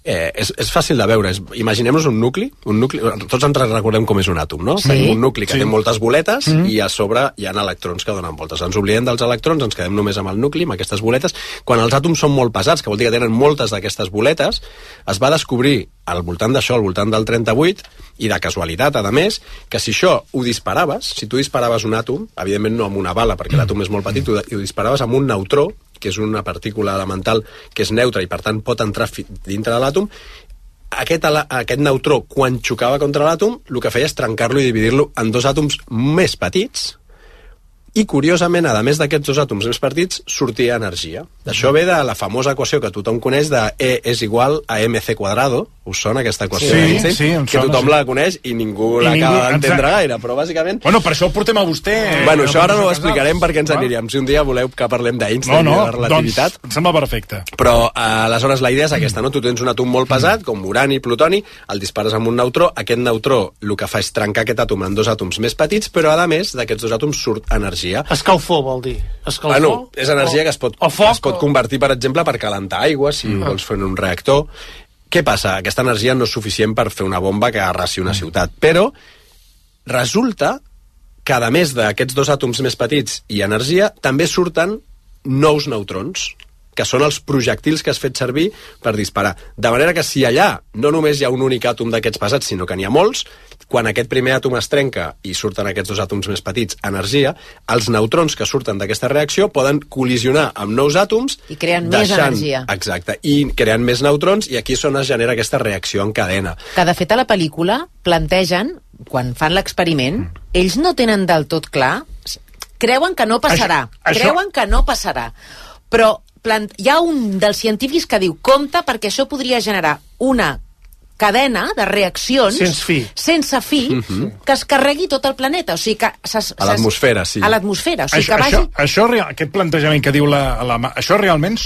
és fàcil de veure. Imaginem-nos un nucli, tots ens recordem com és un àtom, no? Sí. Tenim un nucli que té moltes boletes i a sobre hi ha electrons que donen voltes. Ens oblidem dels electrons, ens quedem només amb el nucli, amb aquestes boletes. Quan els àtoms són molt pesats, que vol dir que tenen moltes d'aquestes boletes, es va descobrir al voltant d'això, al voltant del 38, i de casualitat, a més, que si això ho disparaves, si tu disparaves un àtom, evidentment no amb una bala, perquè l'àtom és molt petit, ho disparaves amb un neutró, que és una partícula elemental que és neutra i per tant pot entrar dintre de l'àtom, aquest neutró, quan xocava contra l'àtom, el que feia és trencar-lo i dividir-lo en 2 àtoms més petits, i curiosament, a més d'aquests 2 àtoms més petits, sortia energia. Això ve de la famosa equació que tothom coneix de E és igual a mc quadrado. Us sona aquesta equació d'Einstein? Que tothom la coneix i ningú l'acaba d'entendre gaire, però bàsicament... Bueno, per això ho portem a vostè. Bueno, això ara no ho explicarem perquè ens aniríem. Si un dia voleu que parlem d'Einstein i de la relativitat... Doncs em sembla perfecte. Però aleshores la idea és aquesta, no? Tu tens un àtom molt pesat, com urani, plutoni, el dispares amb un neutró, aquest neutró el que fa és trencar aquest àtom en 2 àtoms més petits, però a més d'aquests 2 àtoms surt energia. Escalfor, vol dir. Escalfor? Bueno, és energia que es pot convertir, per exemple, per calentar aigua, si vols fer un reactor. Què passa? Aquesta energia no és suficient per fer una bomba que arrasi una ciutat, però resulta que, a més d'aquests 2 àtoms més petits i energia, també surten nous neutrons, que són els projectils que has fet servir per disparar. De manera que si allà no només hi ha un únic àtom d'aquests pesats, sinó que n'hi ha molts, quan aquest primer àtom es trenca i surten aquests dos àtoms més petits, energia, els neutrons que surten d'aquesta reacció poden col·lisionar amb nous àtoms i creen més energia. Exacte, i creen més neutrons, i aquí és on es genera aquesta reacció en cadena. Que de fet a la pel·lícula plantegen, quan fan l'experiment, ells no tenen del tot clar, creuen que no passarà, però hi ha un dels científics que diu compte perquè això podria generar una cadena de reaccions sense fi que es carregui tot el planeta, o sigui que a l'atmosfera, sí. A l'atmosfera, o sigui que vagi... Aquest plantejament que diu això realment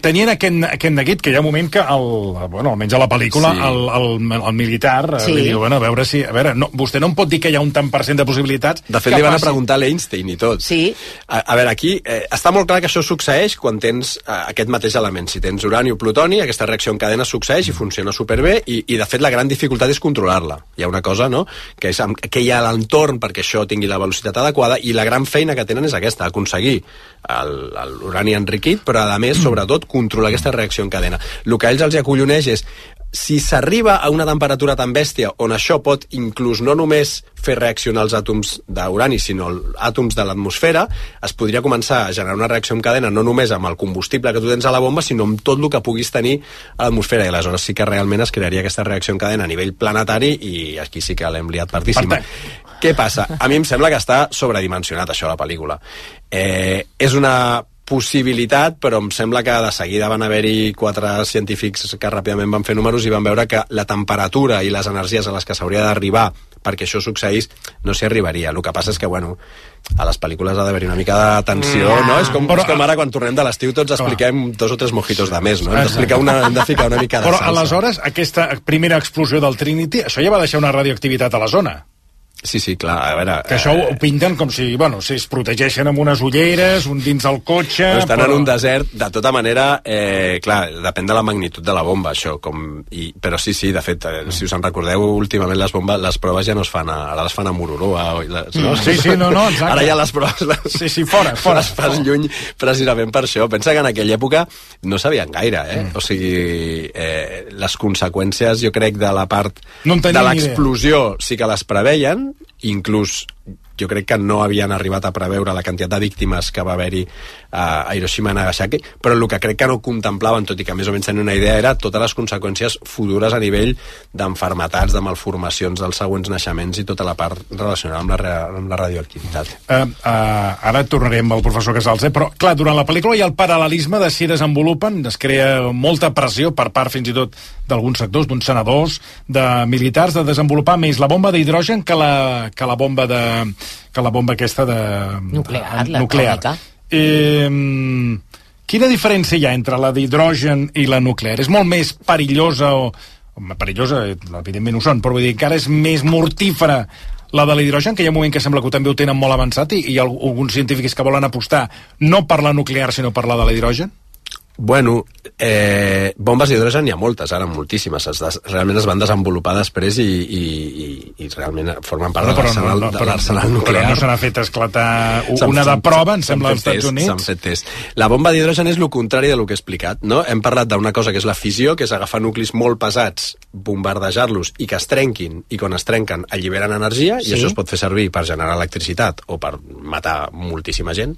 tenien aquest neguit que hi ha un moment que almenys a la pel·lícula el militar li diu, a veure si vostè no em pot dir que hi ha un tant per cent de possibilitats. De fet li van a preguntar a l'Einstein i tot. Sí. A veure, aquí està molt clar que això succeeix quan tens aquest mateix element. Si tens urani o plutoni, aquesta reacció en cadena succeeix i funciona superbé, i de fet la gran dificultat és controlar-la. Hi ha una cosa, no?, que és que hi ha a l'entorn perquè això tingui la velocitat adequada, i la gran feina que tenen és aquesta, aconseguir l'urani enriquit, però a més, sobretot, controlar aquesta reacció en cadena. El que a ells els acolloneix és si s'arriba a una temperatura tan bèstia on això pot inclús no només fer reaccionar els àtoms d'urani, sinó els àtoms de l'atmosfera, es podria començar a generar una reacció en cadena no només amb el combustible que tu tens a la bomba, sinó amb tot el que puguis tenir a l'atmosfera, i aleshores sí que realment es crearia aquesta reacció en cadena a nivell planetari, i aquí sí que l'hem liat partíssima. Què passa? A mi em sembla que està sobredimensionat això, la pel·lícula. És una possibilitat, però em sembla que de seguida van haver-hi 4 científics que ràpidament van fer números i van veure que la temperatura i les energies a les que s'hauria d'arribar perquè això succeís no s'hi arribaria. El que passa és que, a les pel·lícules ha d'haver-hi una mica de tensió, no? És com ara quan tornem de l'estiu tots expliquem 2 o 3 mojitos de més, no? Hem de ficar una mica de salsa. Però aleshores, aquesta primera explosió del Trinity, això ja va deixar una radioactivitat a la zona. Sí, clar, a veure... Que això ho pinten com si, si es protegeixen amb unes ulleres, un dins del cotxe... Estan en un desert, de tota manera, clar, depèn de la magnitud de la bomba, això, però sí, de fet, si us en recordeu, últimament les proves ja no es fan, ara les fan a Mororoa, no? Sí, exacte. Ara ja les proves... Sí, fora. Les fas lluny, precisament per això. Pensa que en aquella època no sabien gaire, O sigui, les conseqüències, jo crec, de la part de l'explosió sí que les preveien, inclús jo crec que no havien arribat a preveure la quantitat de víctimes que va haver-hi a Hiroshima i Nagasaki, però el que crec que no contemplaven, tot i que més o menys tenien una idea, era totes les conseqüències futures a nivell d'enfermetats, de malformacions dels següents naixements i tota la part relacionada amb la radioactivitat. Ara tornarem amb el professor Casals, però clar, durant la pel·lícula hi ha el paral·lelisme de si desenvolupen, es crea molta pressió per part fins i tot d'alguns sectors, d'uns senadors, de militars, de desenvolupar més la bomba d'hidrogen que la bomba aquesta de... nuclear. Quina diferència hi ha entre la d'hidrogen i la nuclear? És molt més perillosa perillosa, evidentment ho són, però vull dir que ara és més mortífera la de l'hidrogen, que hi ha un moment que sembla que també ho tenen molt avançat i hi ha alguns científics que volen apostar no per la nuclear sinó per la de l'hidrogen? Bueno, bombes d'hidrogen n'hi ha moltes, ara moltíssimes. Realment es van desenvolupar després i realment formen part de l'arsenal nuclear. Però no se n'ha fet esclatar una de prova, em sembla, als Estats Units. S'han fet test. La bomba d'hidrogen és el contrari del que he explicat, no? Hem parlat d'una cosa que és la fissió, que és agafar nuclis molt pesats, bombardejar-los i que es trenquin, i quan es trenquen alliberen energia, i això es pot fer servir per generar electricitat o per matar moltíssima gent.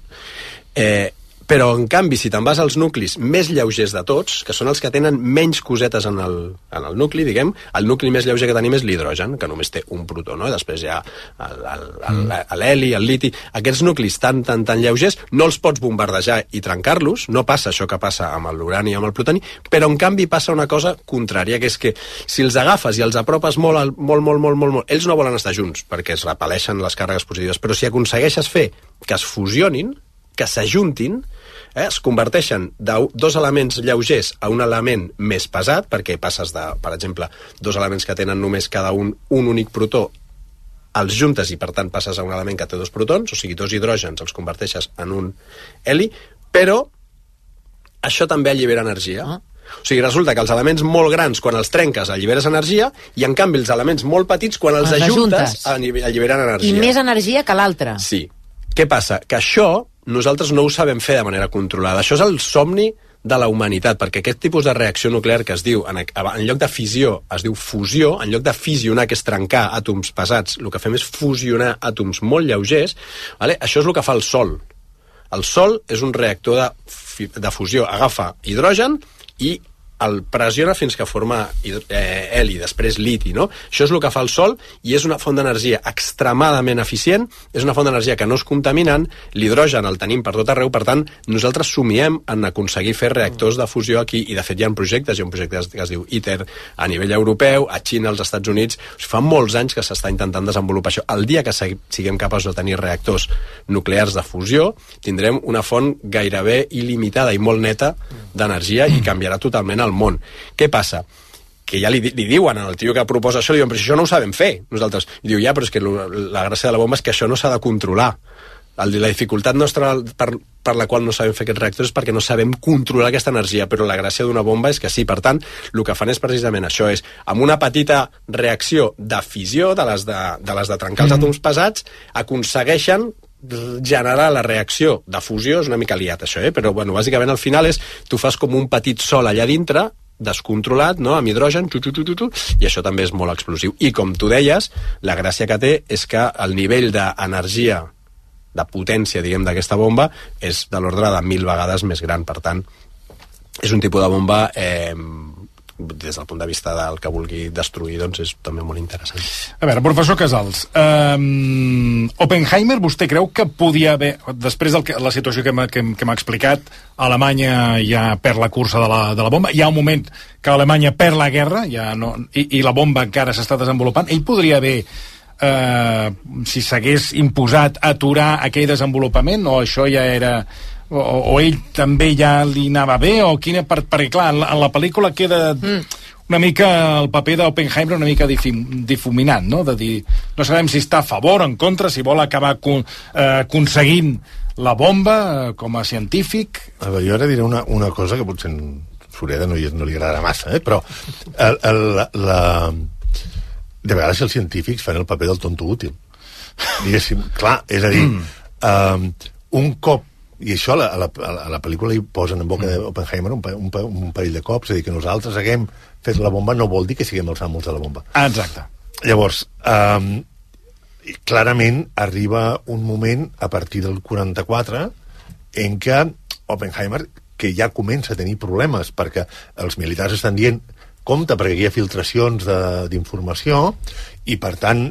Però, en canvi, si te'n vas als nuclis més lleugers de tots, que són els que tenen menys cosetes en el nucli, diguem, el nucli més lleuger que tenim és l'hidrogen, que només té un protó, no? I després hi ha l'heli, el liti... Aquests nuclis tan lleugers no els pots bombardejar i trencar-los, no passa això que passa amb l'urani i amb el plutoni, però, en canvi, passa una cosa contrària, que és que si els agafes i els apropes molt, ells no volen estar junts, perquè es repel·leixen les càrregues positives, però si aconsegueixes fer que es fusionin, que s'ajuntin, es converteixen de 2 elements lleugers a un element més pesat, perquè passes de, per exemple, 2 elements que tenen només cada un únic protó, els juntes i per tant passes a un element que té 2 protons, o sigui, 2 hidrògens els converteixes en un heli, però això també allibera energia. O sigui, resulta que els elements molt grans, quan els trenques, alliberes energia, i en canvi els elements molt petits, quan els ajuntes, alliberen energia. I més energia que l'altre. Sí. Què passa? Que això nosaltres no ho sabem fer de manera controlada. Això és el somni de la humanitat, perquè aquest tipus de reacció nuclear que es diu, en lloc de fissió, es diu fusió, en lloc de fissionar, que és trencar àtoms pesats, el que fem és fusionar àtoms molt lleugers, vale? Això és el que fa el Sol. El Sol és un reactor de fusió, agafa hidrogen i el pressiona fins que forma heli, després liti, no? Això és el que fa el Sol i és una font d'energia extremadament eficient, és una font d'energia que no és contaminant, l'hidrogen el tenim per tot arreu, per tant, nosaltres somiem en aconseguir fer reactors de fusió aquí, i de fet hi ha projectes, hi ha un projecte que es diu ITER a nivell europeu, a Xina, als Estats Units, fa molts anys que s'està intentant desenvolupar això. El dia que siguem capaços de tenir reactors nuclears de fusió, tindrem una font gairebé il·limitada i molt neta d'energia i canviarà totalment el món. Què passa? Que ja li diuen al tio que proposa això, li diuen, però això no ho sabem fer nosaltres. I diu, ja, però és que la gràcia de la bomba és que això no s'ha de controlar. La dificultat nostra per la qual no sabem fer aquests reactors és perquè no sabem controlar aquesta energia, però la gràcia d'una bomba és que sí. Per tant, el que fan és precisament això, és amb una petita reacció de fissió, de les de trencar els àtoms pesats, aconsegueixen generar la reacció de fusió. És una mica liat això, però bueno, bàsicament al final és, tu fas com un petit sol allà dintre, descontrolat, no?, amb hidrogen, i això també és molt explosiu. I com tu deies, la gràcia que té és que el nivell d'energia, de potència, diguem, d'aquesta bomba és de l'ordre de 1000 vegades més gran. Per tant, és un tipus de bomba des del punt de vista del que vulgui destruir, doncs és també molt interessant. A veure, professor Casals, Oppenheimer, vostè creu que podia haver, després de la situació que m'ha explicat, Alemanya ja perd la cursa de la bomba, hi ha un moment que Alemanya perd la guerra, ja no, i la bomba encara s'està desenvolupant, ell podria haver, si s'hagués imposat, aturar aquell desenvolupament, o això ja era... O ell també ja li anava bé, o quina... Perquè, clar, en la pel·lícula queda una mica el paper d'Oppenheimer una mica difuminant, no? De dir, no sabem si està a favor o en contra, si vol acabar aconseguint la bomba com a científic. A veure, jo ara diré una cosa que potser en Sureda no li agradarà massa, però de vegades els científics fan el paper del tonto útil. Diguéssim, clar, és a dir, un cop, i això a la pel·lícula hi posen en boca d'Oppenheimer un parell de cops, és a dir, que nosaltres haguem fet la bomba no vol dir que siguem els amos de la bomba. Exacte. Llavors, clarament arriba un moment a partir del 44 en què Oppenheimer, que ja comença a tenir problemes perquè els militars estan dient compte perquè hi ha filtracions d'informació, i per tant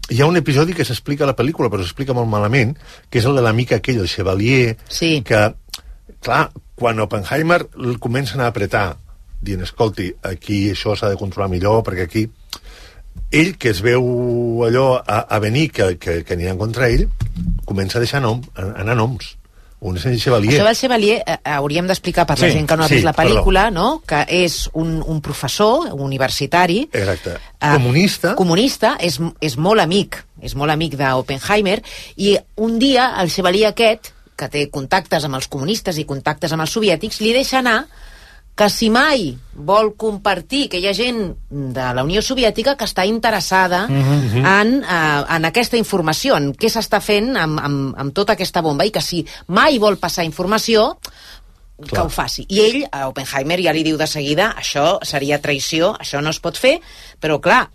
hi ha un episodi que s'explica a la pel·lícula, però s'explica molt malament, que és el de l'amic aquell, el Chevalier, sí. Que, clar, quan Oppenheimer el comencen a apretar, dient, escolti, aquí això s'ha de controlar millor, perquè aquí... Ell, que es veu allò a venir, que aniran contra ell, comença a deixar anar noms. Un és el Chevalier. Això del Chevalier hauríem d'explicar per la gent que no ha vist la pel·lícula, no? Que és un professor universitari. Exacte. Comunista, és molt amic d'Oppenheimer, i un dia el Chevalier aquest, que té contactes amb els comunistes i contactes amb els soviètics, li deixa anar que si mai vol compartir, que hi ha gent de la Unió Soviètica que està interessada en aquesta informació, en què s'està fent amb tota aquesta bomba, i que si mai vol passar informació, que ho faci. I ell, a Oppenheimer, ja li diu de seguida, això seria traïció, això no es pot fer, però clar,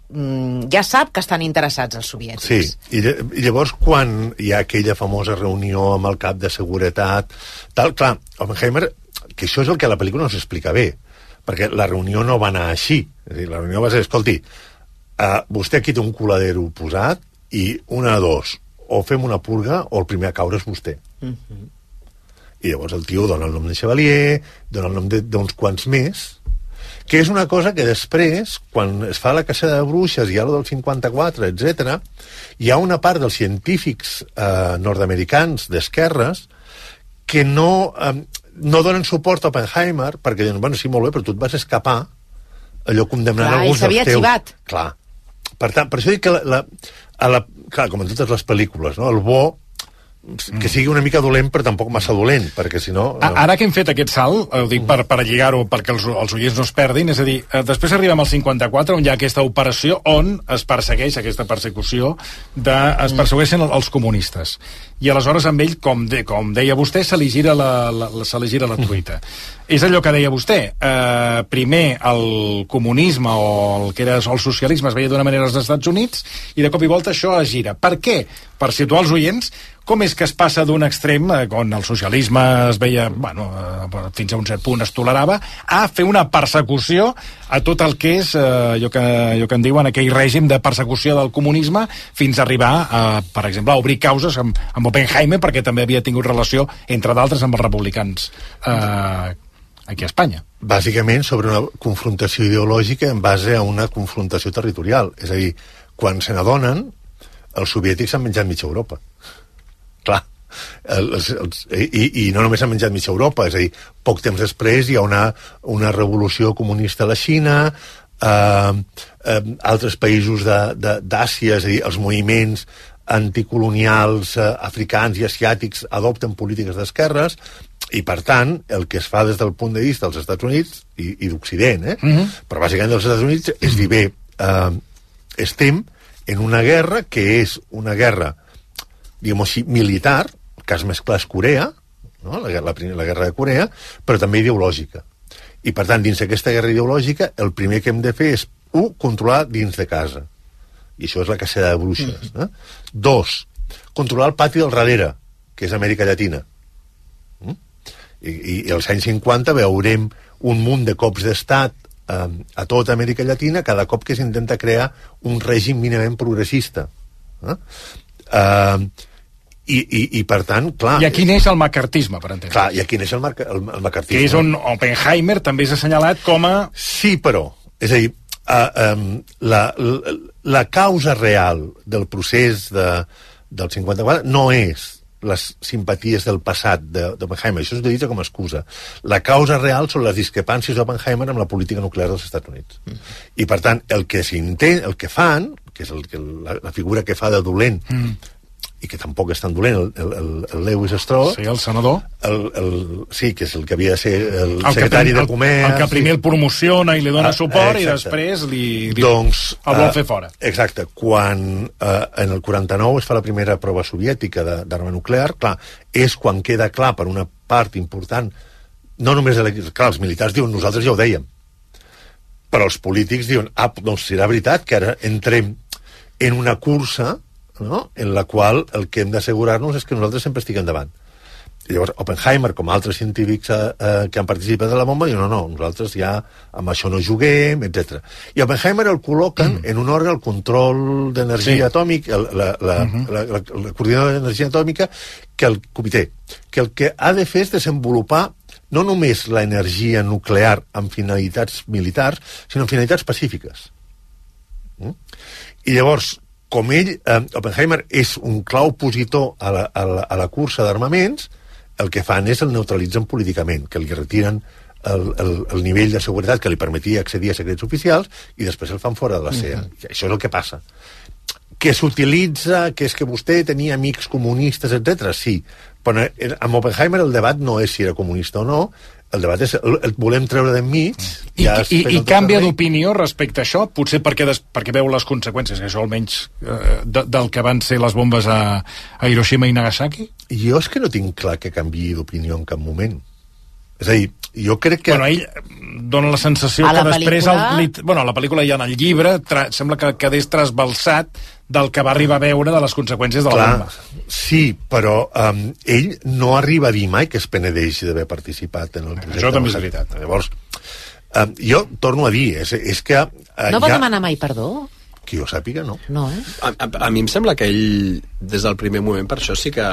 ja sap que estan interessats els soviètics. Sí, i llavors quan hi ha aquella famosa reunió amb el cap de seguretat, tal, clar, Oppenheimer, que això és el que a la pel·lícula no s'explica bé, perquè la reunió no va anar així. És a dir, la reunió va ser, escolti, vostè aquí té un coladero posat i una de dos, o fem una purga o el primer a caure és vostè. I llavors el tio dona el nom de Chevalier, dona el nom d'uns quants més, que és una cosa que després, quan es fa la caça de bruixes i algo del 54, etc., hi ha una part dels científics nord-americans d'esquerres que no donen suport a Oppenheimer perquè diuen, bueno, sí, molt bé, però tu et vas escapar allò condemnant alguns dels teus. Clar, i s'havia arxivat. Clar. Per tant, per això dic que clar, com en totes les pel·lícules, no? El bo que sigui una mica dolent, però tampoc massa dolent, perquè si no... Ara que hem fet aquest salt, ho dic per lligar-ho perquè els oients no es perdin, és a dir, després arribem al 54, on hi ha aquesta operació on es persegueix, aquesta persecució, es persegueixen els comunistes. I aleshores amb ell, com deia vostè, se li gira la truita. És allò que deia vostè. Primer el comunisme o el que era el socialisme es veia d'una manera als Estats Units i de cop i volta això es gira. Per què? Per situar els oients, com és que es passa d'un extrem, on el socialisme es veia, fins a un cert punt es tolerava, a fer una persecució a tot el que és allò que en diuen aquell règim de persecució del comunisme, fins a arribar, per exemple, a obrir causes amb Oppenheimer, perquè també havia tingut relació, entre d'altres, amb els republicans aquí a Espanya. Bàsicament sobre una confrontació ideològica en base a una confrontació territorial. És a dir, quan se n'adonen, els soviètics han menjat mitja Europa. Clar. I no només han menjat mitja Europa, és a dir, poc temps després hi ha una revolució comunista a la Xina, altres països d'Àsia, és a dir, els moviments anticolonials africans i asiàtics adopten polítiques d'esquerres, i per tant el que es fa des del punt de vista dels Estats Units i d'Occident, però bàsicament dels Estats Units és dir, bé, estem en una guerra que és una guerra, diguem-ho així, militar, el cas més clar és Corea, no? la guerra de Corea, però també ideològica. I per tant, dins d'aquesta guerra ideològica, el primer que hem de fer és, controlar dins de casa. I això és la cacera de bruixes. 2, controlar el pati del darrere, que és Amèrica Llatina. I als anys 50 veurem un munt de cops d'estat a tota Amèrica Llatina cada cop que s'intenta crear un règim mínimament progressista. I per tant, clar... I aquí neix el macartisme, per entendre. Clar, i aquí neix el macartisme. Que és on Oppenheimer també s'ha assenyalat com a... Sí, però, és a dir, la causa real del procés del 54 no és les simpaties del passat d'Oppenheimer, això s'utilitza com a excusa. La causa real són les discrepàncies d'Oppenheimer amb la política nuclear dels Estats Units. I per tant, el que fan, que és la figura que fa de dolent, i que tampoc és tan dolent, el Lewis Strauss... Sí, el senador. Sí, que és el que havia de ser el secretari de Comerç... El que primer el promociona i li dona suport i després el vol fer fora. Exacte. Quan en el 49 es fa la primera prova soviètica d'arma nuclear, clar, és quan queda clar per una part important, no només... Clar, els militars diuen, nosaltres ja ho dèiem, però els polítics diuen, doncs serà veritat que ara entrem en una cursa, no?, en la qual el que hem d'assegurar-nos és que nosaltres sempre estiguem davant. I llavors Oppenheimer, com altres científics que han participat de la bomba, diuen, no, nosaltres ja amb això no juguem, etc. I Oppenheimer el col·loquen en un òrgan, el control d'energia atòmica, la coordinadora d'energia atòmica, que el comitè, que el que ha de fer és desenvolupar no només l'energia nuclear amb finalitats militars, sinó amb finalitats pacífiques. I llavors, com Oppenheimer és un clau opositor a la cursa d'armaments, el que fan és el neutralitzen políticament, que li retiren el nivell de seguretat que li permetia accedir a secrets oficials i després el fan fora de la CEA. Això és el que passa. Que s'utilitza, que és que vostè tenia amics comunistes, etc. Sí, però amb Oppenheimer el debat no és si era comunista o no, el debat és el volem treure d'enmig. I canvia d'opinió respecte a això, potser perquè veu les conseqüències, que això almenys del que van ser les bombes a Hiroshima i Nagasaki? Jo és que no tinc clar que canviï d'opinió en cap moment. És a dir, jo crec que... Bueno, ell dona la sensació que després... Bueno, la pel·lícula i en el llibre sembla que quedés trasbalsat del que va arribar a veure de les conseqüències de la bomba. Sí, però ell no arriba a dir mai que es penedeix d'haver participat en el projecte. Això també és veritat. Llavors, jo torno a dir, és que... No va demanar mai perdó? Que jo sàpiga, no. No, A mi em sembla que ell, des del primer moment, per això sí que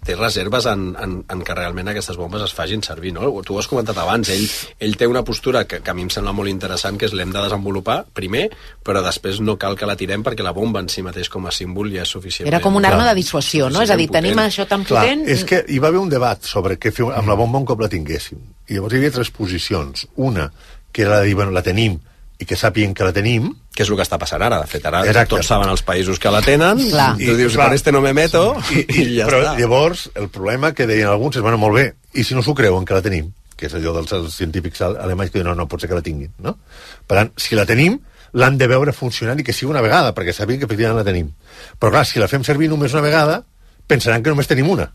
té reserves en que realment aquestes bombes es facin servir, no? Tu ho has comentat abans, ell té una postura que a mi em sembla molt interessant, que és l'hem de desenvolupar primer, però després no cal que la tirem perquè la bomba en si mateix com a símbol ja és suficient. Era com una arma de dissuasió, no? És a dir, tenim això tan potent... És que hi va haver un debat sobre què fer amb la bomba un cop la tinguéssim. I llavors hi havia 3 posicions. Una, que era de dir, bueno, la tenim, i que sàpiguen que la tenim. Que és el que està passant ara. De fet, ara tots saben els països que la tenen, i tu dius, con este no me meto, i ja però està. Llavors, el problema que deien alguns és, bueno, molt bé, i si no s'ho creuen que la tenim? Que és allò dels científics alemanys que diuen, no pot ser que la tinguin, no? Per tant, si la tenim, l'han de veure funcionant i que sigui una vegada, perquè sàpiguen que efectivament la tenim. Però clar, si la fem servir només una vegada, pensaran que només tenim una.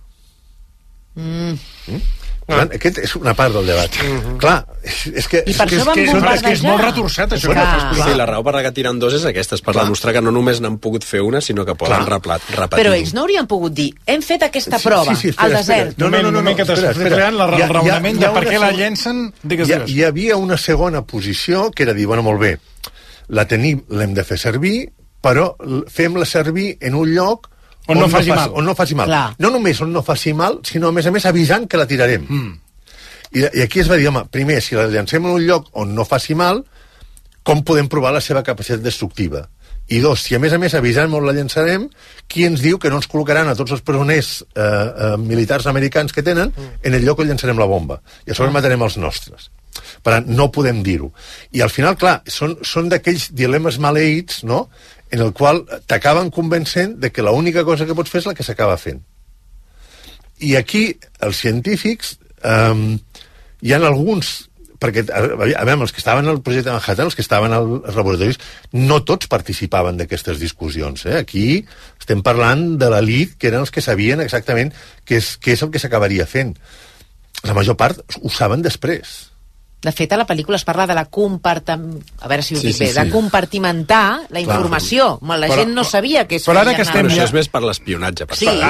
Aquest és una part del debat. Clar, és que... I per això van bombardejar. És molt retorçat, això. Sí, la raó per la que tiren dos és aquesta, és per demostrar que no només n'han pogut fer una, sinó que poden repetir. Però ells no haurien pogut dir, hem fet aquesta prova al desert. No, que t'estàs creant el raonament de per què la llencen. Hi havia una segona posició que era dir, bueno, molt bé, la tenim, l'hem de fer servir, però fem-la servir en un lloc on no faci mal. No només on no faci mal, sinó a més avisant que la tirarem. I aquí es va dir, home, primer, si la llancem en un lloc on no faci mal, com podem provar la seva capacitat destructiva? I dos, si a més avisant on la llançarem, qui ens diu que no ens col·locaran a tots els presoners militars americans que tenen en el lloc on llançarem la bomba? I a sobre matarem els nostres. Per tant, no podem dir-ho. I al final, clar, són d'aquells dilemes maleïts, no?, en el qual t'acaben convencent de que l'única cosa que pots fer és la que s'acaba fent. I aquí, els científics, hi ha alguns, perquè, a veure, els que estaven al projecte Manhattan, els que estaven als laboratoris, no tots participaven d'aquestes discussions. Aquí estem parlant de l'elit, que eren els que sabien exactament què és el que s'acabaria fent. La major part ho saben després. De fet, a la pel·lícula es parla de la a veure si ho dic bé, de compartimentar la informació. La gent no sabia que es feia. Però això és més per l'espionatge.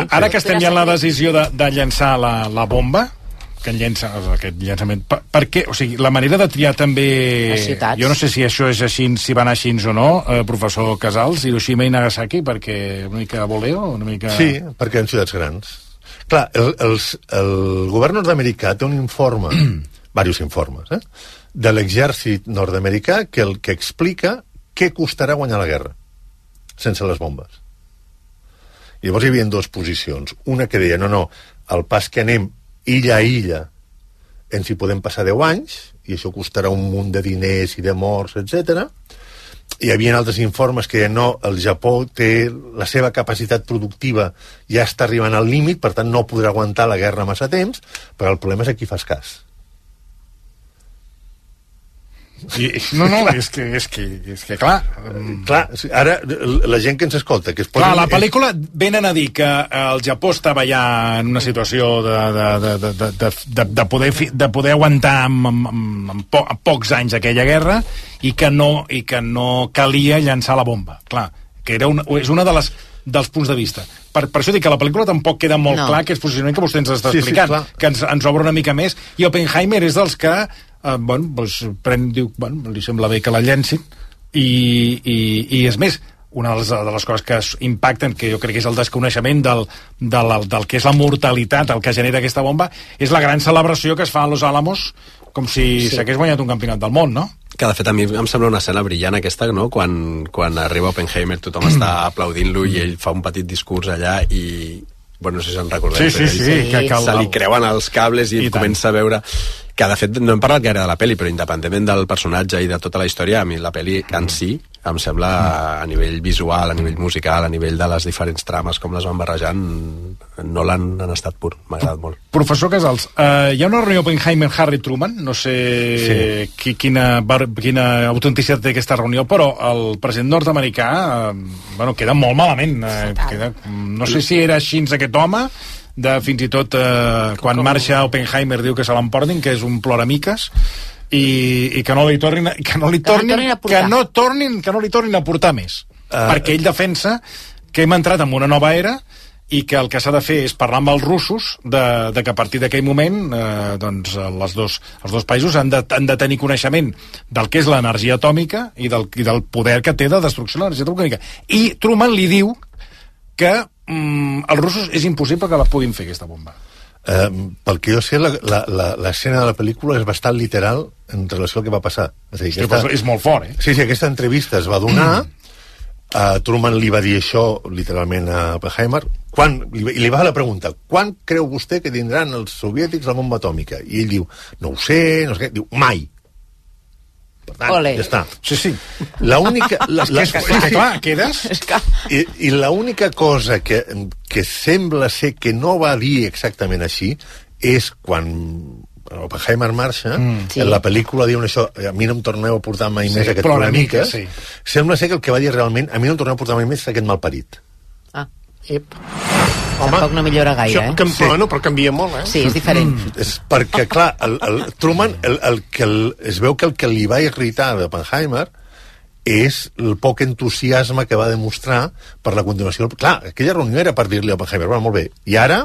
Ara que estem ja en la decisió de llançar la bomba, que llença aquest llançament, per què? O sigui, la manera de triar també... Jo no sé si això és així, si va anar així o no, professor Casals, Hiroshima i Nagasaki, perquè una mica voleo, una mica... Sí, perquè en ciutats grans. Clar, el govern nord-americà té un informe... diversos informes, de l'exèrcit nord-americà que explica què costarà guanyar la guerra sense les bombes. I llavors hi havia dues posicions. Una que deia, no, el pas que anem illa a illa ens hi podem passar 10 anys i això costarà un munt de diners i de morts, etc. Hi havia altres informes que deien, no, el Japó té la seva capacitat productiva, ja està arribant al límit, per tant no podrà aguantar la guerra massa temps, però el problema és a qui fas cas. No, és que clar... Clar, ara la gent que ens escolta... Clar, la pel·lícula venen a dir que el Japó estava ja en una situació de poder aguantar en pocs anys aquella guerra i que no calia llançar la bomba. Clar, que és una dels punts de vista. Per això dic que la pel·lícula tampoc queda molt clar que és posicionament que vostè ens està explicant, que ens obre una mica més, i Oppenheimer és dels que diu, li sembla bé que la llencin, i és més, una de les coses que impacten, que jo crec que és el desconeixement del que és la mortalitat, el que genera aquesta bomba, és la gran celebració que es fa a Los Alamos, com si s'hagués guanyat un campionat del món, no? Que de fet a mi em sembla una escena brillant aquesta, no? Quan arriba Oppenheimer tothom està aplaudint-lo i ell fa un petit discurs allà i... Bueno, no sé si se'n recordeu. Sí. Se li creuen els cables i comença a veure... Que de fet no hem parlat gaire de la pel·li, però independentment del personatge i de tota la història, a mi la pel·li en si em sembla, a nivell visual, a nivell musical, a nivell de les diferents trames, com les van barrejant, no l'han estat pur. M'ha agradat molt. Professor Casals, hi ha una reunió Oppenheimer-Harry Truman, no sé quina autenticitat té aquesta reunió, però el president nord-americà queda molt malament. No sé si era així aquest home, fins i tot quan marxa Oppenheimer diu que se l'emportin, que és un ploramiques, i que no li tornin a portar més, perquè ell defensa que hem entrat en una nova era i que el que s'ha de fer és parlar amb els russos de que a partir d'aquell moment els dos països han de tenir coneixement del que és l'energia atòmica i del poder que té de destrucció de l'energia atòmica. I Truman li diu que els russos és impossible que la puguin fer, aquesta bomba. Pel que jo sé, l'escena de la pel·lícula és bastant literal en relació al que va passar. És molt fort, eh? Sí, aquesta entrevista es va donar, Truman li va dir això literalment a Oppenheimer, i li va fer la pregunta, quan creu vostè que tindran els soviètics la bomba atòmica? I ell diu, no ho sé, diu, mai. Per tant, ja està. Sí. L'única... Clar, quedes... I l'única cosa que sembla ser que no va dir exactament així és quan Oppenheimer marxa, en la pel·lícula diuen això, a mi no em torneu a portar mai més aquest ploramiques, sembla ser que el que va dir realment, a mi no em torneu a portar mai més aquest malparit. Ep. Tampoc no millora gaire, Bueno, però canvia molt, Sí, és diferent. És perquè, clar, el Truman, es veu que el que li va irritar d'Oppenheimer és el poc entusiasme que va demostrar per la continuació. Clar, aquella reunió era per dir-li a Oppenheimer, bueno, molt bé, i ara...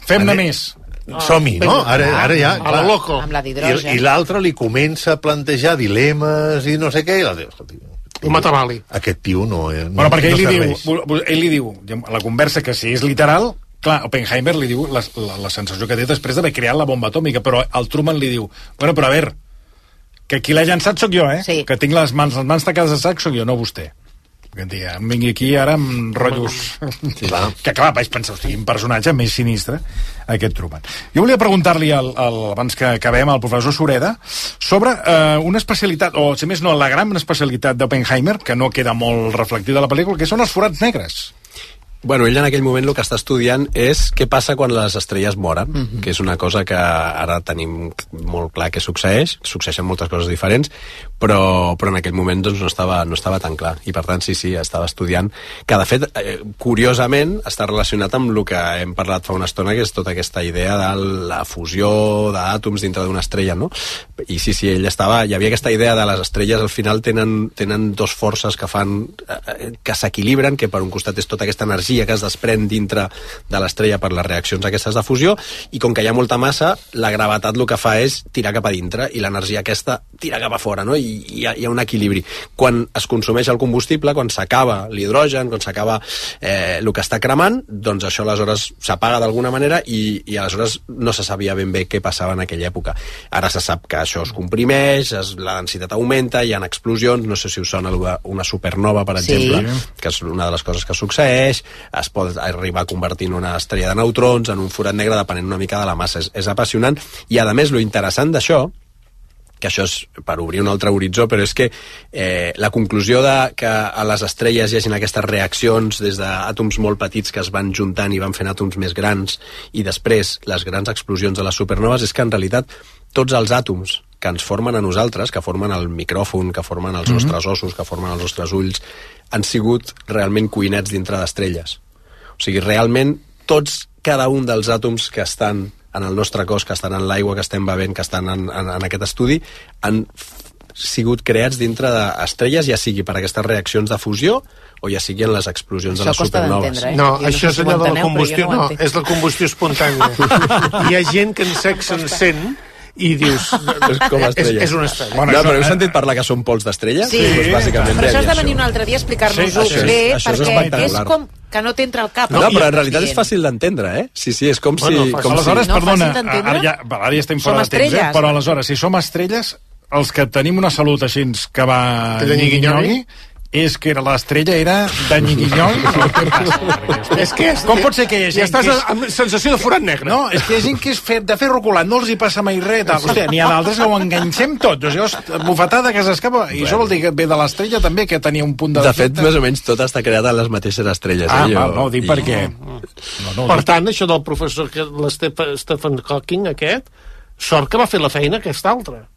Fem-ne més. Som-hi, no? Ara ja... A la loco. Amb la d'hidrogen. I l'altre li comença a plantejar dilemes i no sé què, i l'altre... Un matamali. Aquest tio no Bueno, perquè no ell li diu, a la conversa, que si és literal, clar, Oppenheimer li diu la sensació que té després d'haver creat la bomba atòmica, però el Truman li diu, bueno, però a veure, que qui l'ha llançat sóc jo, Sí. Que tinc les mans tacades de sac sóc jo, no vostè. Que em vingui aquí ara amb rotllos... Sí, que clar, vaig pensar, hosti, un personatge més sinistre, aquest Truman. Jo volia preguntar-li, abans que acabem, al professor Sureda, sobre una especialitat, o si més no, la gran especialitat d'Oppenheimer, que no queda molt reflectida a la pel·lícula, que són els forats negres. Bueno, ell en aquell moment el que està estudiant és què passa quan les estrelles moren, que és una cosa que ara tenim molt clar que succeeixen moltes coses diferents, però en aquell moment doncs, no estava tan clar, i per tant sí, estava estudiant, que de fet, curiosament, està relacionat amb el que hem parlat fa una estona, que és tota aquesta idea de la fusió d'àtoms dintre d'una estrella, no? I sí, ell hi havia aquesta idea de les estrelles al final tenen dos forces que fan que s'equilibren, que per un costat és tota aquesta energia que es desprèn dintre de l'estrella per les reaccions aquestes de fusió, i com que hi ha molta massa, la gravetat el que fa és tirar cap a dintre, i l'energia aquesta tira cap a fora, no? I hi ha un equilibri. Quan es consumeix el combustible, quan s'acaba l'hidrogen, quan s'acaba el que està cremant, doncs això aleshores s'apaga d'alguna manera, i aleshores no se sabia ben bé què passava en aquella època. Ara se sap que això es comprimeix, la densitat augmenta, hi ha explosions, no sé si us sona una supernova, per exemple, que és una de les coses que succeeix, es pot arribar a convertir en una estrella de neutrons, en un forat negre, depenent una mica de la massa. És apassionant, i a més, lo interessant d'això, que això és per obrir un altre horitzó, però és que la conclusió de que a les estrelles hi hagin aquestes reaccions des d'àtoms molt petits que es van juntant i van fent àtoms més grans, i després les grans explosions de les supernoves, és que en realitat tots els àtoms que ens formen a nosaltres, que formen el micròfon, que formen els nostres ossos, que formen els nostres ulls, han sigut realment cuinets dintre d'estrelles. O sigui, realment cada un dels àtoms que estan en el nostre cos, que estan en l'aigua que estem bevent, que estan en aquest estudi, han sigut creats dintre d'estrelles, ja sigui per aquestes reaccions de fusió o ja sigui en les explosions de les supernoves. No, això és allò de la combustió, no, és la combustió espontània. Hi ha gent que en sexe s'encén i dius, és una estrella. Bueno, no, però heu sentit parlar que són pols d'estrella? Sí, però això has de venir un altre dia a explicar-nos-ho bé, perquè és com que no t'entra al cap. No, però en realitat és fàcil d'entendre, eh? Sí, és com si... Aleshores, perdona, ara ja estem fora de temps, però aleshores, si som estrelles, els que tenim una salut així que va nyigui-nyogui, és que l'estrella era de nyigui-nyogui? Com pot ser que hi ha gent... I estàs amb sensació de forat negre. No, és que hi ha gent que és de ferro colat, no els hi passa mai res. Hòstia, n'hi ha d'altres que ho enganxem tot. Bufetada que s'escapa. I això vol dir que ve de l'estrella també, que tenia un punt de... De fet, més o menys tot està creat en les mateixes estrelles. No, ho dic perquè... Per tant, això del professor Stephen Hawking, aquest, sort que va fer la feina aquest altre.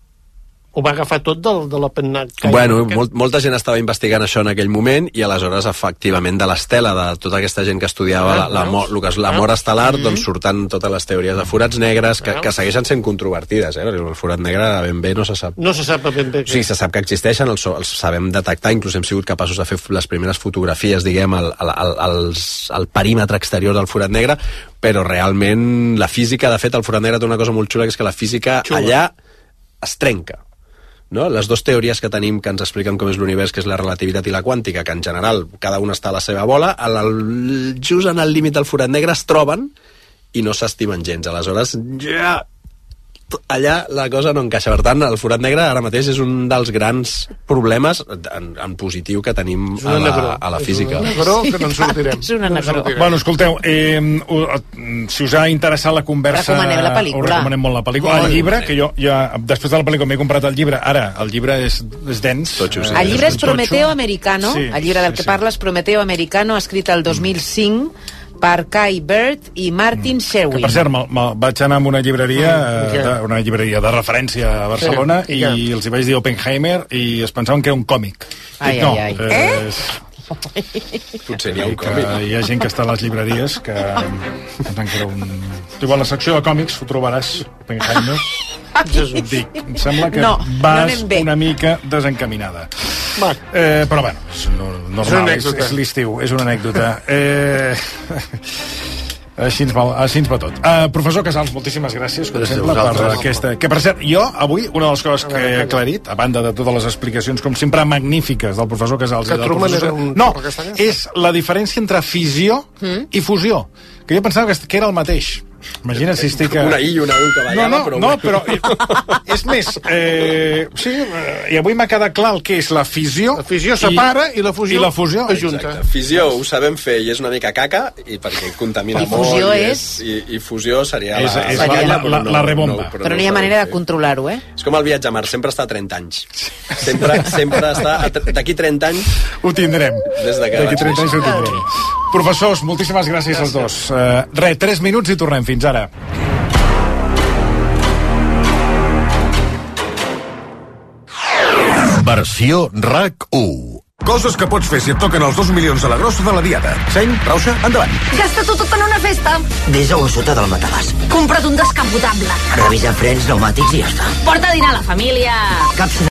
Ho va agafar tot de l'Oppenheimer. Bueno, molta gent estava investigant això en aquell moment, i aleshores, efectivament, de l'estela de tota aquesta gent que estudiava la mort estel·lar, doncs surten totes les teories de forats negres, que segueixen sent controvertides, perquè el forat negre ben bé no se sap. No se sap ben bé. Sí, se sap que existeixen, els sabem detectar, inclús hem sigut capaços de fer les primeres fotografies, diguem, al perímetre exterior del forat negre, però realment la física, de fet, el forat negre té una cosa molt xula, que és que la física allà es trenca. No? Les dues teories que tenim que ens expliquen com és l'univers, que és la relativitat i la quàntica, que en general cada una està a la seva bola, just en el límit del forat negre es troben i no s'estimen gens. Aleshores, allà la cosa no encaixa. Per tant, el forat negre ara mateix és un dels grans problemes en positiu que tenim a la física. És un negró que no en sortirem. És una negró. Bueno, escolteu, si us ha interessat la conversa... Recomanem la pel·lícula. Recomanem molt la pel·lícula. El llibre, que jo ja, després de la pel·lícula m'he comprat el llibre, ara, el llibre és dens. El llibre és Prometeo Americano, el llibre del que parles, Prometeo Americano, escrit el 2005, per Kai Bird i Martin Sherwin. Que, per cert, vaig anar a una llibreria de referència a Barcelona, i els hi vaig dir Oppenheimer i es pensaven que era un còmic. Ai. Potser n'hi ha un còmic. Hi ha gent que està a les llibreries que encara Tu igual a la secció de còmics ho trobaràs Oppenheimer. Dic, em sembla que vas una mica desencaminada. Però bueno, és normal, és l'estiu, és una anècdota. Així ens va tot. Professor Casals, moltíssimes gràcies, com sempre, per aquesta... Que, per cert, jo, avui, una de les coses que he aclarit, a banda de totes les explicacions, com sempre, magnífiques del professor Casals i del professor... No, és la diferència entre fissió i fusió, que jo pensava que era el mateix. Imagina't si estic... Una I i una U que ballava, però... No, però és més... Sí, i avui m'ha quedat clar el que és la fissió... La fissió separa i la fusió ajunta. Fissió ho sabem fer i és una mica caca, i perquè contamina molt. I fusió és... I fusió seria la rebomba. Però no hi ha manera de controlar-ho, eh? És com el viatge a Mart, sempre està a 30 anys. Sempre està... D'aquí 30 anys... Ho tindrem. D'aquí 30 anys ho tindrem. Professors, moltíssimes gràcies als dos. 3 minuts i tornem. Fins ara. Versió RAC1. Coses que pots fer si et toquen els 2 milions de la grossa de la diada. Seny, Rauxa, endavant. Gasta-t'ho tot en una festa. Desa-ho sota del matalàs. Compra't un descapotable. Revisa frens, pneumàtics i ja està. Porta a dinar a la família. Caps